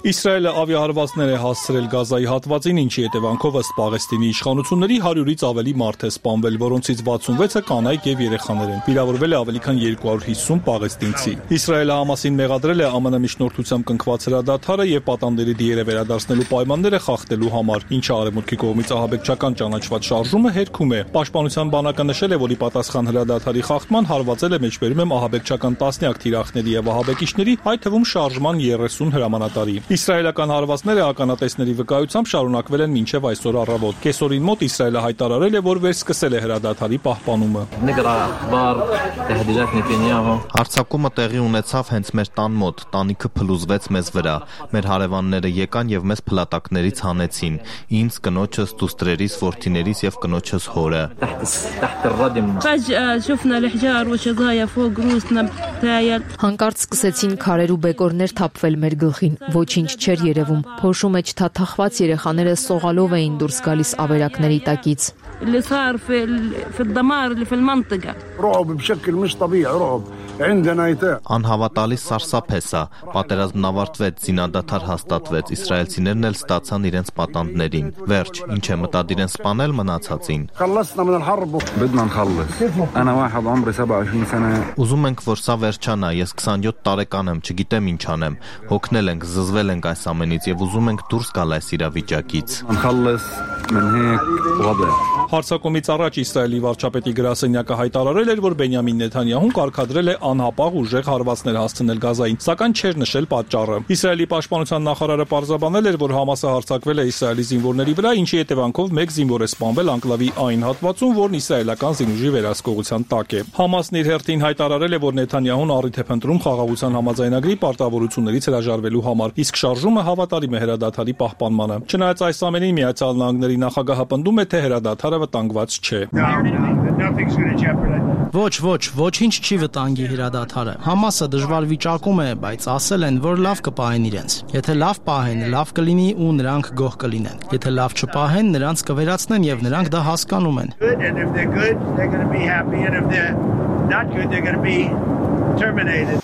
Իսրայելը ավիահարվածներ է հասցրել Գազայի հատվածին, ինչի հետևանքով ըստ Պաղեստինի իշխանությունների հարյուրից ավելի մարդ է սպանվել, որոնցից վաթսունվեցը կանայք եւ երեխաներ են։ Վիրավորվել է ավելի քան երկու հարյուր հիսուն պաղեստինցի։ Իսրայելը Համասին մեղադրել է ԱՄՆ միջնորդությամբ կնքված հրադադարը եւ պատանդերի դիերը վերադարձնելու պայմանները խախտելու համար, ինչը արևմուտքի կողմից ահաբեկչական ճանաչված շարժումը հերքում է։ Պաշտպանության բանակը նշել է, որ ի պատասխան հրադադարի խախտման հարվածել է մեջբերում եմ ահաբեկչական տասնյակ թիրախների եւ ահաբեկիչների, այդ թվում շարժման երեսուն հրամանատարի։ Իսրայելական հարվածները ականատեսների վկայությամբ շարունակվել են մինչև այսօր առավոտ։ Կեսօրին մոտ Իսրայելը հայտարարել է, որ վերսկսել է հրադադարի պահպանումը։ Հարձակումը տեղի ունեցավ հենց մեր տան մոտ, տանիքը փլուզվեց մեզ վրա, մեր հարևանները եկան եւ մեզ փլատակներից հանեցին, ինձ, կնոջս, դուստրերիս, որդիներիս եւ կնոջս հորը։ Հանկարծ սկսեցին քարեր ու բեկորներ թափվել մեր գլխին, ոչինչ չէր երևում, փոշու մեջ թաթախված երեխաները սողալով էին դուրս գալիս ավերակների տակից։ اللي صار في في الدمار اللي في المنطقة رعب بشكل مش طبيعي رعب عندنا ايتام Անհավատալի սարսափ է սա, պատերազմն ավարտվեց, զինադադար հաստատվեց, իսրայելցիներն էլ ստացան իրենց պատանդներին։ Վերջ, ինչ է մտադիր են սպանել մնացածին։ Ուզում ենք, որ սա վերջանա, ես քսանյոթ տարեկան եմ, չգիտեմ ինչ անեմ, հոգնել ենք, զզվել ենք այս ամենից եւ ուզում ենք դուրս գալ այս իրավիճակից։ Հարձակումից առաջ Իսրայելի վարչապետի գրասենյակը հայտարարել էր, որ Բենյամին Նեթանյահուն կարգադրել է անհապաղ ուժեղ հարվածներ հասցնել Գազային, սակայն չէր նշել պատճառը։ Իսրայելի պաշտպանության նախարարը պարզաբանել էր, որ Համասը հարձակվել է Իսրայելի զինվորների վրա, ինչի հետևանքով մեկ զինվոր է սպանվել անկլավի այն հատվածում, որն իսրայելական զինուժի վերահսկողության տակ է։ Համասն իր հերթին հայտարարել է, որ Նեթանյահուն առիթ է փնտրում խաղաղության համաձայնագրի պարտավորություններից հրաժարվելու համար, իսկ շարժումը հավատարիմ է հրադադարի պահպանմանը։ Չնայած այս ամենին Միացյալ Նահանգների նախագահը պնդում է, թե հրադադարը վտանգված չէ։ Ոչ, ոչ, ոչինչ չի վտանգի հրադադարը։ Համասը դժվար վիճակում է, բայց ասել են, որ լավ կպահեն իրենց։ Եթե լավ պահեն, լավ կլինի ու նրանք գոհ կլինեն։ Եթե լավ չպահեն, նրանց կվերացնեն եւ նրանք դա հասկանում են։ Է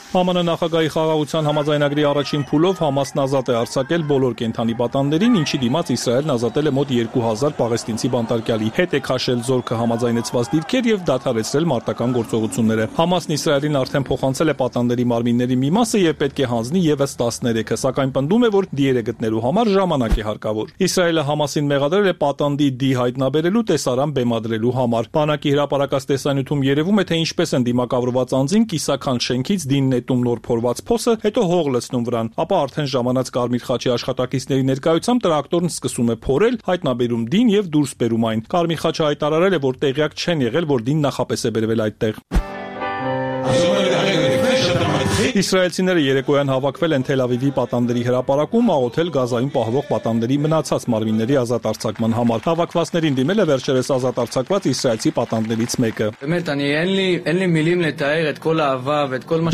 ԱՄՆ նախագահի խաղաղության համաձայնագրի առաջին փուլով Համասն ազատ է արձակել բոլոր կենդանի պատանդերին, ինչի դիմաց Իսրայելն ազատել է մոտ երկու հազար պաղեստինցի բանտարկյալի, հետ է քաշել զորքը համաձայնեցված դիրքեր եւ դադարեցրել մարտական գործողությունները։ Համասն Իսրայելին արդեն փոխանցել է պատանդերի մարմինների մի մասը եւ պետք է հանձնի եւս տասներեքը, սակայն պնդում է, որ դիերը գտնելու համար ժամանակ է հարկավոր։ Իսրայելը Համասին մեղադրել է պատանդի դի հայտնաբերելու տեսարան բեմադրելու համար։ Բանակի հրապարակած տեսանյութում երևում է, թե ինչպես են դիմակավորված անձին կիսական շենքից դին նետում նոր փորված փոսը, հետո հող լցնում վրան, ապա արդեն ժամանած Կարմիր խաչի աշխատակիցների ներկայությամբ տրակտորն սկսում է փորել, հայտնաբերում դին եւ դուրս բերում այն։ Կարմիր խաչը հայտարարել է, որ տեղյակ չեն եղել, որ դին նախապես է բերվել այդտեղ։ Իսրայելցիները երեկոյան հավաքվել են Թել Ավիվի պատանդերի հրապարակում աղոթել Գազայում պահվող պատանդերի մնացած մարմինների ազատ արձակման համար։ Հավաքվածներին դիմել է վերջերս ազատ արձակված իսրայելցի պատանդներից մեկը։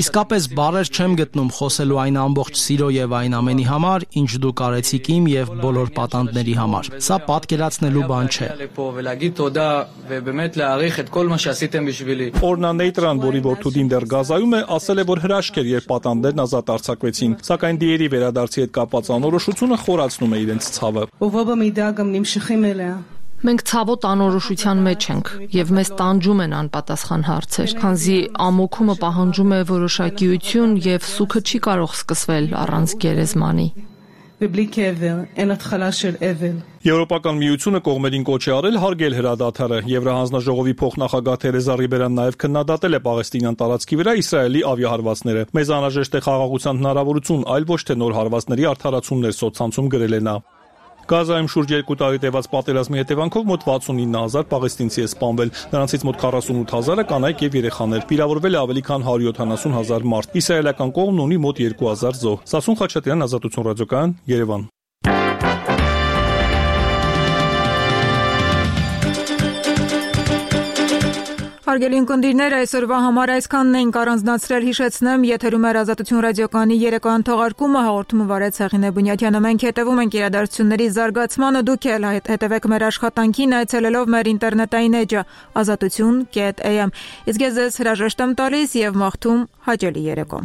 Իսկապես բառեր չեմ գտնում խոսելու այն ամբողջ սիրո եւ այն ամենի համար, ինչ դուք արեցիք իմ եւ բոլոր պատանդների համար։ Սա պատկերացնելու բան չէ։ Օրնա Նեյտրան, որի որդու դեռ Գազայում է, ասել է, որ հրաշք էր, երբ պատանդերն ազատ արձակվեցին, սակայն դիերի վերադարձի հետ կապված անորոշությունը խորացնում է իրենց ցավը։ Մենք ցավոտ անորոշության մեջ ենք եւ մեզ տանջում են անպատասխան հարցեր, քանզի ամոքումը պահանջում է որոշակիություն եւ սուքը չի կարող սկսվել առանց գերեզմանի։ Եվրոպական միությունը կողմերին կոչ է արել հարգել հրադադարը։ Եվրահանձնաժողովի փոխնախագահ Թերեզա Ռիբերան նաև քննադատել է Պաղեստինյան տարածքի վրա Իսրայելի ավիահարվածները։ Մեզ անհրաժեշտ է խաղաղության հնարավորություն, այլ ոչ թե նոր հարվածների արդարացումներ, սոցցանցում գրել է նա։ Գազայում շուրջ երկու տարի տևած պատերազմի հետևանքով մոտ վաթսունինը հազար պաղեստինցի է սպանվել, նրանցից մոտ քառասունութ հազարը կանայք եւ երեխաներ, վիրավորվել է ավելի քան հարյուր յոթանասուն հազար մարդ։ Իսրայելական կողմն ունի մոտ երկու հազար զոհ։ Սասուն Խաչատրյան, Ազատություն ռադիոկայան, Երևան։ Հարգելի ունկնդիրներ, այսօրվա համար այսքանն էինք առանձնացրել, հիշեցնեմ, եթերում էր Ազատություն ռադիոկայանի երեկոյան թողարկումը, հաղորդումը վարեց Հեղինե Բունյաթյանը։ Մենք հետևում ենք իրադարձությունների զարգացմանը, դուք էլ հետևեք մեր աշխատանքին, այցելելով մեր ինտերնետային էջը ազատություն կետ էյ էմ։ Իսկ ես ձեզ հրաժեշտ եմ տալիս եւ մաղթում հաճելի երեկո։